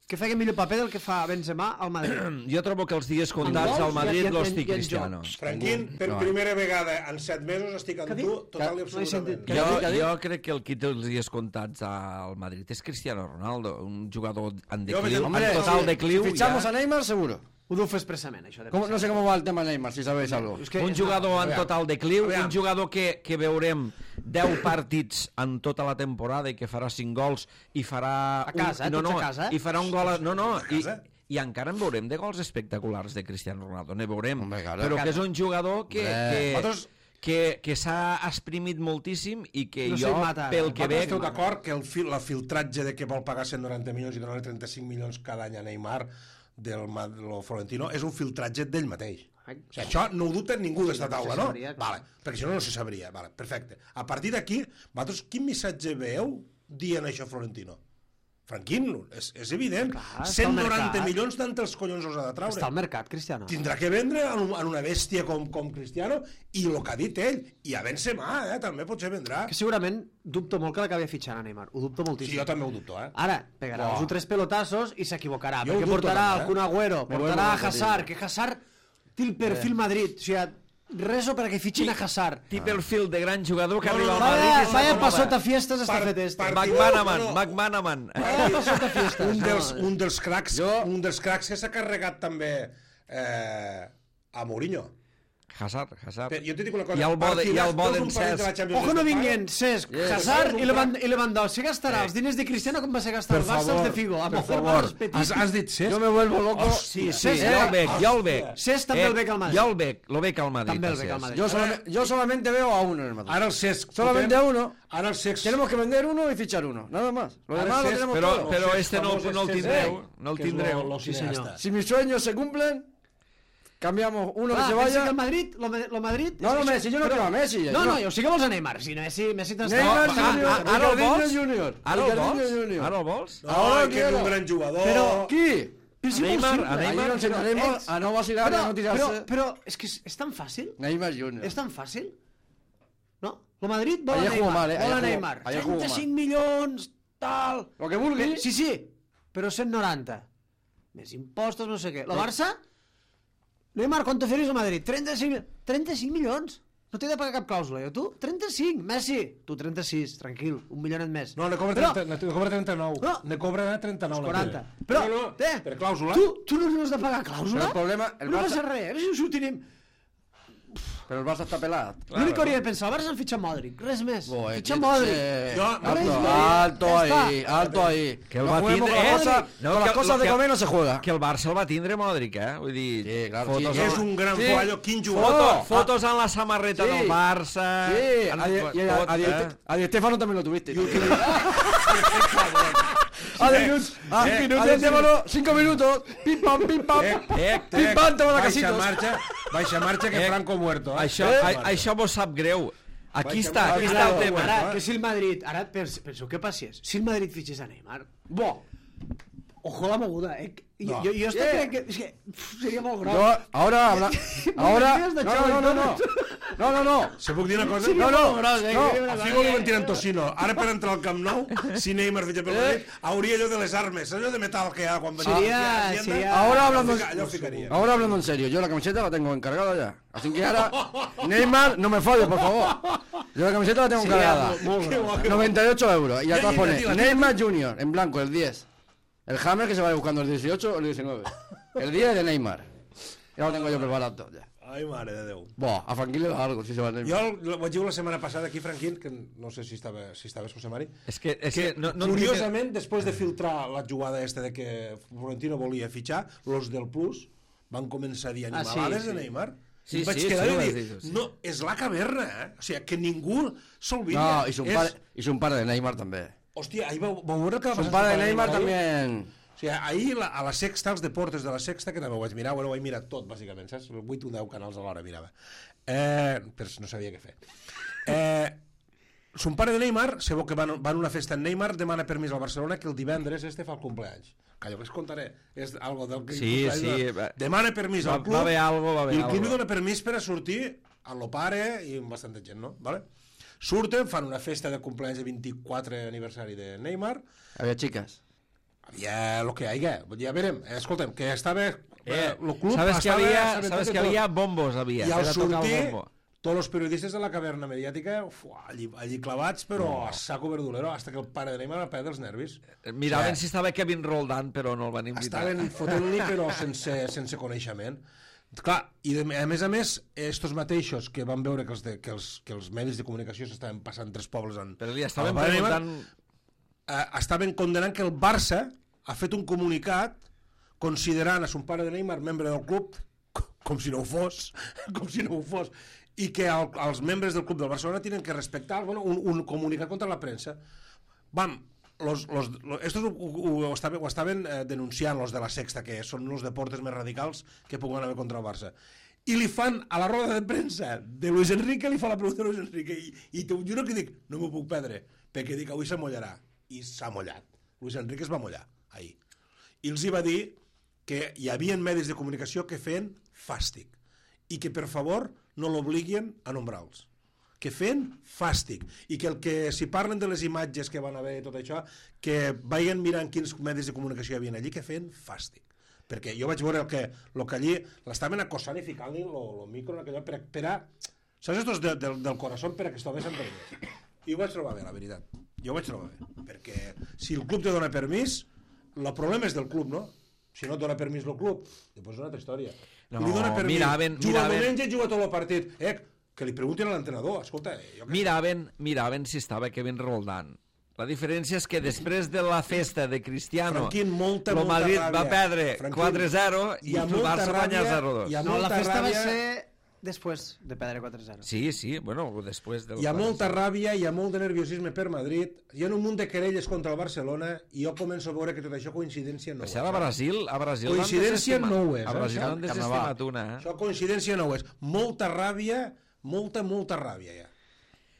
que faci millor paper del que fa Benzema al Madrid. Jo trobo que els dies comptats al Madrid los té Cristiano. Franquín, per primera vegada en 7 mesos estic amb tu total i absolutament. Jo crec que el qui té els dies comptats al Madrid és Cristiano Ronaldo, un jugador en decliu, en total decliu. Si fichamos a Neymar, seguro. Ho diu expressament, això. No sé com va el tema Neymar, si sabeu algo. Un jugador en total decliu, un jugador que veurem 10 partits en tota la temporada i que farà 5 gols i farà... A casa, tots a casa. I farà un gol... I encara en veurem de gols espectaculars de Cristiano Ronaldo, ne veurem. Però que és un jugador que s'ha exprimit moltíssim i que jo, pel que veig... Esteu d'acord que el filtratge de que vol pagar 190 milions i donar 35 milions cada any a Neymar del Florentino és un filtratge d'ell mateix. O sigui, això no ho dubta ningú d'esta taula, no? Vale, perquè si no, no se sabria. Vale, perfecte. A partir d'aquí, vosaltres quin missatge veieu dient això Florentino? Franquín, és evident. 190 milions d'entre els collons els ha de traure. Està al mercat, Cristiano. Tindrà que vendre en una bèstia com Cristiano i el que ha dit ell. I a Benzema, també potser vendrà. Que segurament dubto molt que l'acabi fitxant a Neymar. Ho dubto moltíssim. Sí, jo també ho dubto, Ara, pegarà els 3 pelotassos i s'equivocarà. Perquè portarà el Kun Agüero, portarà a Hazard, que Hazard té el perfil Madrid. O sigui, rezo perquè fitxin a Hazard. Té perfil de gran jugador que arriba al Madrid. Vaya pasota fiestas està fet este. McManaman. Vaya pasota fiestas. Un dels cracs que s'ha carregat també a Mourinho. Hazard. Jo te dic una cosa. I el bo d'en Cesc. Ojo no vinguen Cesc, Hazard i Lewandowski. Gastarà els diners de Cristiano com va ser gastar el Barça els de Figo. Per favor, has dit Cesc? Jo me vuelvo loco. Sí, jo el bec. Cesc també el bec al Madrid. Jo el bec al Madrid. També el bec al Madrid. Yo solamente veo a uno en el Madrid. Ara el Cesc. Solamente a uno. Ara el Cesc. Tenemos que vender uno y fichar uno, nada más. Lo demás lo tenemos todo. Pero este no el tindreu. No el tindreu. Si mis sueños se cumplen, cambiamos uno que se vaya. Que el Madrid, lo Madrid... No, Messi, yo no quiero a Messi. No, jo sí que vols a Neymar. Si Messi Neymar Junior. Ara el vols? Ara que és un gran jugador. Però qui? A Neymar a no vacilar, a no tirarse. Però és que és tan fàcil. Neymar Junior. És tan fàcil. No? El Madrid vol a Neymar. 35 milions, tal... Lo que vulgui. Sí, però 190. Més impostos, no sé què. El Barça... Neymar, ¿cuánto oferís al Madrid? 35 milions. No t'he de pagar cap clàusula. Jo, tu, 35, Messi. Tu, 36, tranquil, 1 milionet més. No, ne cobra 39. No. Ne cobra 39. 40. Però, per clàusula. Tu no has de pagar clàusula? Però el problema... No passa res, si ho tenim... Però el Barça està pelat. L'únic que hauria de pensar, el Barça han fitxat Modric, res més. Fitxar que- Modric. Alto ahí. Que el No va juguemos tindre... con las cosas- con las cosas de comer no se juega. Que el Barça el va tindre Modric, Vull dir... Sí, claro, fotos sí, amb- És un gran Sí. fallo. Quin jugador. Fotos en la samarreta Sí. del Barça... Sí, tot, a Di Stéfano también lo tuviste. I utilitzar... A 10 minutos, 5 minutos, pim pam, pim pam, pim pam, te vas a casitos. Baixa marxa que Franco muerto. Això vos sap greu. Aquí està el tema. Ara, que si el Madrid... Ara, penseu què passés. Si el Madrid fitxés a Neymar... Bo! Ojo la moguda, No. Jo crec que... És que seria molt gros. Ahora habla. Ahora. No. Se puc dir una cosa? No. A Figo li van tirar en Tocino. Ara per entrar al Camp Nou, si Neymar fitxa pel Madrid, hauria allò de les armes, allò de metal que hi ha quan Seria... Ahora hablando, allò ficaria. ahora hablando en serio, yo la camiseta la tengo encargada ya. Así que ahora, Neymar, no me falles, por favor. Yo la camiseta la tengo encargada. 98 euros. Y atrás pone Neymar Junior, en blanco, el 10. El Hammer que se vaya buscando el 18 o el 19. El 10 de Neymar. Ya lo tengo yo preparado ya. Ai, mare de Déu. Buah, a Franquín le da algo si se va a Neymar. Jo ho vaig dir la setmana passada aquí, Franquín, que no sé si estaves, José Mari, És que no, curiosament, després de filtrar la jugada de que Florentino volia fitxar, los del Plus van començar a dir animalades de Neymar. Sí, I vaig sí, quedar sí, i ho has dir, dit, sí. no, és la caverna, O sigui, que ningú s'olvida. No, hizo un par de Neymar también. Hòstia, ahir vau veure el que va Hizo passar. un par de Neymar ahir? también. O sigui, ahir a la Sexta, als Deportes de la Sexta, que també ho vaig mirar, ho vaig mirar tot, bàsicament, saps? 8 o 10 canals a l'hora mirava. Però no sabia què fer. Son pare de Neymar, se veu que van a una festa en Neymar, demana permís al Barcelona que el divendres fa el cumpleaños. Callo, que es contaré. És algo del que... Sí. Demana permís al club. Va haver algo, I el club li dona permís per a sortir a lo pare i amb bastanta gent, no? Vale? Surten, fan una festa de cumpleaños de 24 aniversari de Neymar. Había chicas. Havia el que hi hagi. Ja verem. Escolta'm, que estava... el club sabes que estava había tot. bombos, havia. I al Era tocar el sortir, bombo. tots els periodistes de la caverna mediàtica allí clavats, però a saco verdulero, hasta que el pare de Neymar va perdre els nervis. Miraven si estava Kevin Roldán, però no el van invitar. Estaven fotent-li, però sense coneixement. Clar, i a més, estos mateixos que van veure que els medis de comunicació s'estaven passant 3 pobles en... Però li estaven al pare de preguntant... Neymar, estaven condenant que el Barça ha fet un comunicat considerant a son pare de Neymar membre del club com si no ho fos, i que els membres del club del Barcelona tenen que respectar un comunicat contra la premsa. Estos ho estaven denunciant los de la Sexta, que són els deportes més radicals que puguen haver contra el Barça. I li fan, a la roda de premsa de Luis Enrique, li fa la pregunta a Luis Enrique, i t'ho juro que dic, no m'ho puc perdre, perquè dic, avui s'amollarà. I s'ha mollat. Luis Enrique es va mollar, ahir. I els hi va dir que hi havia medis de comunicació que feien fàstic i que, per favor, no l'obliguin a nombrarlos. Que feien fàstic. I que si parlen de les imatges que van haver i tot això, que vagin mirant quins medis de comunicació hi havia allí, que feien fàstic. Perquè jo vaig veure el que allí l'estaven acossant i ficant-li el micro en aquell lloc per a... Saps estos del corazón per a que estovessin per mi? I ho vaig trobar bé, la veritat. Jo ho vaig trobar bé. Perquè si el club te dona permís, el problema és del club, no? Si no et dona permís el club, després és una altra història. No, li dona permís, juga el diumenge i juga tot el partit. Que li preguntin a l'entrenador, escolta... Miraven si estava Kevin Roldán. La diferència és que després de la festa de Cristiano, molta Madrid ràbia. va perdre 4-0 i el Barça guanya 0-2. No, la festa va ser després de perdre 4-0. Sí, bueno, després del... Hi ha molta ràbia, hi ha molt de nerviosisme per Madrid, hi ha un munt de querelles contra el Barcelona i jo començo a veure que tot això coincidència no ho és. A Brasil coincidència no ho és. A Brasil han desestimat una. Això coincidència no ho és. Molta ràbia, molta ràbia ja.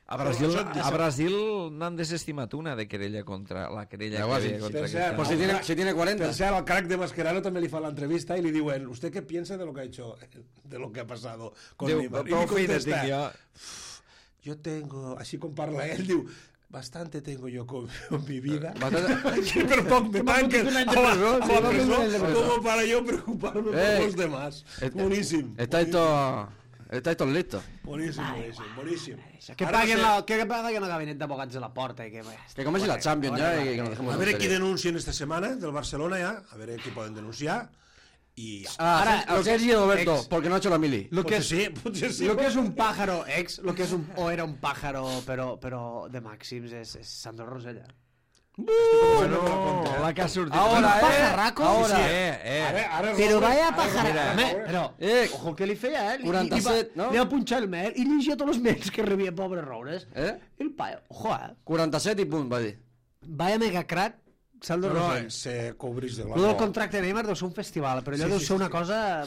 A Brasil n'han desestimat una de querella contra la querella que havia contra Cristiano. Pues si tiene 40. Per cert, al crack de Mascherano també li fa l'entrevista i li diuen, ¿usted qué piensa de lo que ha hecho, de lo que ha pasado con Neymar? I li contesta, yo tengo, així com parla ell, diu, bastante tengo yo con mi vida. Per poc me tanquen a la presó como para yo preocuparme por los demás. Bueníssim. Está esto... Estáis todos listos. Boníssim. Que Ara paguen no sé- que paguen el gabinet d'abogats de la porta i que... Que comenci la Champions ya y que nos dejemos A de veure qui tonterías. denuncien esta setmana del Barcelona ja, a veure qui poden denunciar. I... Ahora, lo que- Sergi Roberto, ex- porque no ha hecho la mili. Lo que, potser sí. lo que és un pájaro ex, lo que és un, o era un pájaro però de màxims és Sandro Rosella. Bueno, la que ha sortit... Ahora, Un pajarraco. ahora. Ara Però vaya Mira, pajarraco. Però, ojo el que li feia, eh? 47, no? Li va punxar el mail i llegia tots els mails que rebia, pobre Roures. El paio, ojo, 47 y pum, va dir. Vaya mega crack, Sandro No, Rosell. se cobrís de Lo del contracte de Neymar deu ser un festival, però allò deu ser una cosa...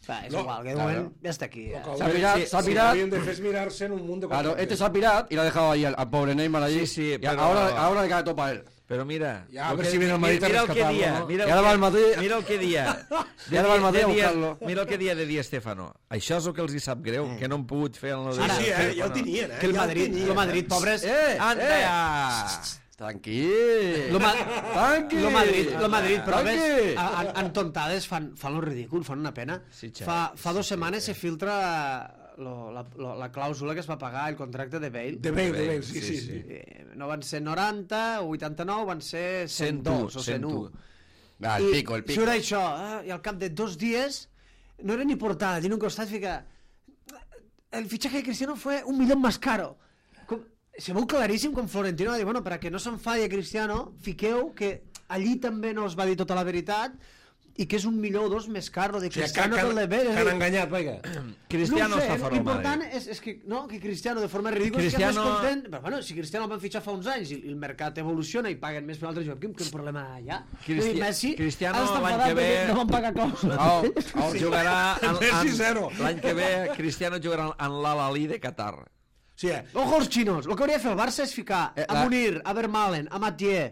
Va, és No, igual, que de moment ja està aquí. Ja. Se ha pirado, se ha pirado. Havien de fer és mirar-se en un munt de Claro, contractes. este se ha pirado y lo ha dejado ahí al pobre Neymar allí. Sí, Y pero- ahora le cae todo para él. Però mira... Ja, a lo ver que- si viene el Madrid a mira el que rescatarlo, dia, ¿no? mira Y ahora va al Madrid. Mira el que dia. Y ahora va al Madrid a buscarlo. Mira el que dia de Di Stéfano. Això és el que els hi sap greu, que no han pogut fer el Sí, Di sí, Stéfano. ja el tenien, Que el ja Madrid, pobres... Anda ja! Tranquil. Lo Tranqui. Madrid, però Tranqui. ves, en tontades fan lo ridícul, fan una pena. Sí, xavi, Fa 2 setmanes se filtra la clàusula que es va pagar el contracte de Bale. De Bale, sí. No van ser 90 o 89, van ser 102 o 101. Va, el pico. Surt això, i al cap de 2 dies no era ni portada, tiene un costat fica el fichaje de Cristiano fue 1 millón más caro. Se veu claríssim com Florentino va dir, bueno, per a que no s'enfadi a Cristiano, fiqueu que allí també no es va dir tota la veritat i que és 1 milió o 2 més car lo de Cristiano que el de Bale. Que han enganyat, vaja. Cristiano no ho sé, està fora del l'important Madrid. és que, no, que Cristiano de forma ridícula Cristiano- és que més content, però bueno, si Cristiano el van fitxar fa uns anys i el mercat evoluciona i paguen més per un altre joc, quin problema hi ha? Messi Cristiano ara està l'any enfadat que ve- perquè no van pagar clàusula. Jugarà Messi zero. l'any que ve Cristiano jugarà en l'Al-Ahly de Qatar. Sí, Ojo als xinos, el que hauria de fer el Barça és ficar a la- Munir, a Vermaelen, a Mathieu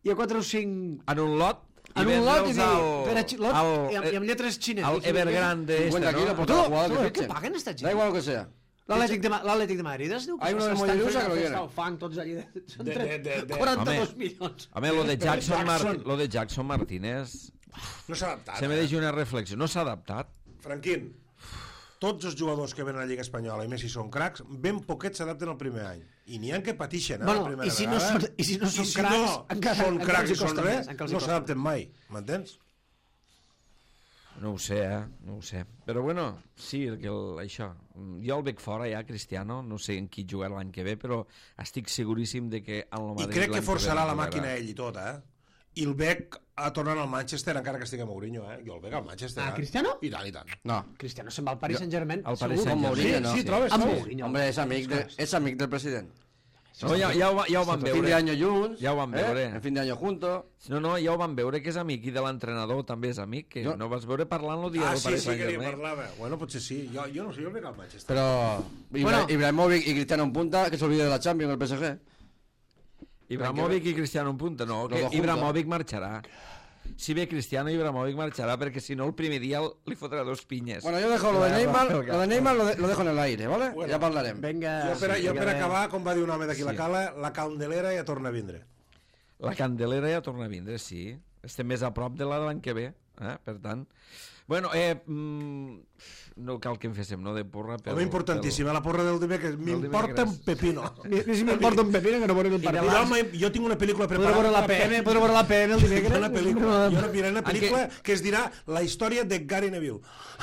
i a 4 o 5 En un lot en un lot i vendre'ls dir, per a lot, i amb lletres xines. al Evergrande 50 este, kilos no? por cada Todo, jugador todo, que ¿qué fichen. pagan esta gent? Da igual lo que sea. L'Atlètic de Madrid es diu que Hay uno de s'estan Mollerussa fent que lo una quiere. festa al fang, tots allí. Són de- 42 Home. milions. Home, lo de Jackson Martínez no s'ha adaptat. se me deixa una reflexió. No s'ha adaptat. Franquín, tots els jugadors que venen a la Lliga Espanyola i Messi són cracs, ben poquets s'adapten el primer any. I n'hi ha que patixen, la Bueno, primera i si no vegada. són- i si no són I cracs, no encara- són encara cracs els i hi són costa res, més, encara els hi no costa s'adapten mai, m'entens? No ho sé, no ho sé. Però bueno, sí, això. Jo el veig fora ja, Cristiano, no sé en qui jugarà l'any que ve, però estic seguríssim de que en el I Madrid crec l'any que forçarà ve la no màquina jugarà. ell i tot, I el veig a tornar al Manchester encara que estigui a Mourinho, Jo el veig al Manchester, Cristiano? I tant, i tant. No. Cristiano se'n va al Paris Saint-Germain. Al Paris segur. Con Mourinho, no. Sí, trobes, Amb trobes. Mourinho. Hombre, es amic del presidente. No, ja ho van Fin de veure. año junts. Ja ho vam veure. En fin de año juntos. No, ja ho van veure que és amic i de l'entrenador també és amic, que no vas veure parlant el dia del Sí, Paris sí, que li Saint-Germain. parlava. Bueno, potser sí. Jo no sé, jo el veig al Manchester. Pero Bueno. Ibrahimovic y Cristiano en punta, que se olvide de la Champions, el PSG. Ibrahimovic i Cristiano en punta, no, Los que dos Ibrahimovic marxarà. Si ve Cristiano, Ibrahimovic marxarà, perquè si no el primer dia li fotrà 2 pinyes. Bueno, yo dejo lo de Neymar, lo dejo en el aire, ¿vale? Bueno. Ya hablaremos. Vinga. Jo per acabar, com va dir un home d'aquí la cala, la candelera ja torna a vindre. La Candelera ja torna a vindre, sí. Estem més a prop de l'any que ve, per tant. Bueno, no cal que em féssim, no, de porra. Home, importantíssima, la porra del dimecres. M'importa un pepino. Ni si m'importa un pepino que no veurem el partit. Jo tinc una pel·lícula Podré preparada. veure la PM, podré veure la PM el dimecres. Una pel·lícula. Jo miraré una pel·lícula que es dirà La història de Gary Neville.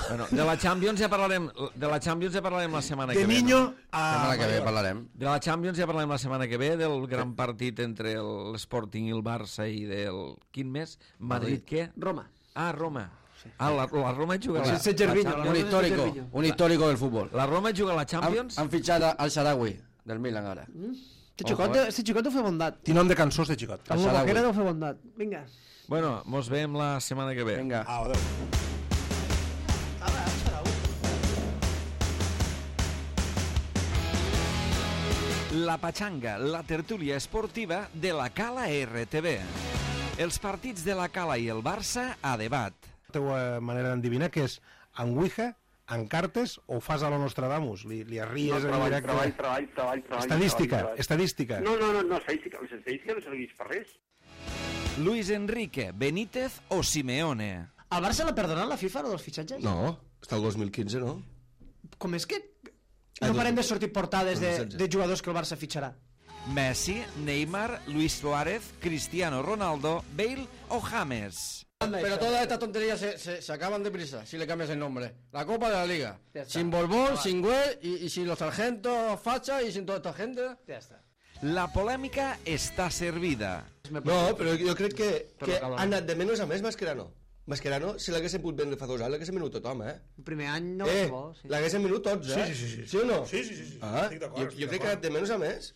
Bueno, de la Champions ja parlarem la setmana que De ve. niño La a... semana que ve hablarem. De la Champions ja parlarem la setmana que ve, del gran partit entre l'Sporting i el Barça i del... Quin més? Madrid, què? Roma. Ah, Roma. Ah, la Roma juga la... Sense Gervinho. Un histórico del fútbol. La Roma juga la Champions? Han fichado al Sharawi, del Milan ahora. Este xicot deu fer bondat. Té nom de cançó, este xicot. El Boquera deu fer bondat. Vinga. Bueno, mos veiem la setmana que ve. Venga. Adéu. La Pachanga, la tertúlia esportiva de la Cala RTV. Els partits de la Cala i el Barça a debat. La teva manera d'endevinar que és en Ouija, en cartes o ho fas a la Nostradamus? Li arries en directe? Treball. Estadística. No, estadística no serveix per res. Luis Enrique, Benítez o Simeone? Al Barça l'ha perdonat la FIFA, lo dels fitxatges? No, està el 2015, no? Com és que no parem de sortir portades de jugadors que el Barça fitxarà? Messi, Neymar, Luis Suárez, Cristiano Ronaldo, Bale o James. Pero todas estas tonterías se acaban deprisa si le cambias el nombre. La Copa de la Liga. Ya está. Sin Borbón, sin Güell y sin los sargentos Facha y sin toda esta gente. Ja està. La polèmica està servida. No, però jo crec que ha anat de menys a més Mascherano. Mascherano, si l'haguessin pogut vendre fa 2 anys, l'haguessin venut tothom, eh? El primer any no va bo, sí. L'haguessin venut tots, eh? Sí. Sí o no? Sí. Ah, Estic d'acord, jo crec que ha anat de menys a més.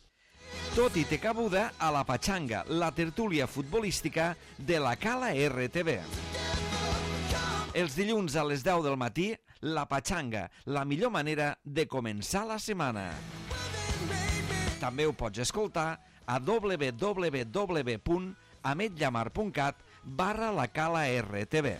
Tot i té cabuda a la Pachanga, la tertúlia futbolística de la Cala RTV. Els dilluns a les 10 del matí, la Pachanga, la millor manera de començar la setmana. També ho pots escoltar a www.ametllamar.cat/la Cala RTV.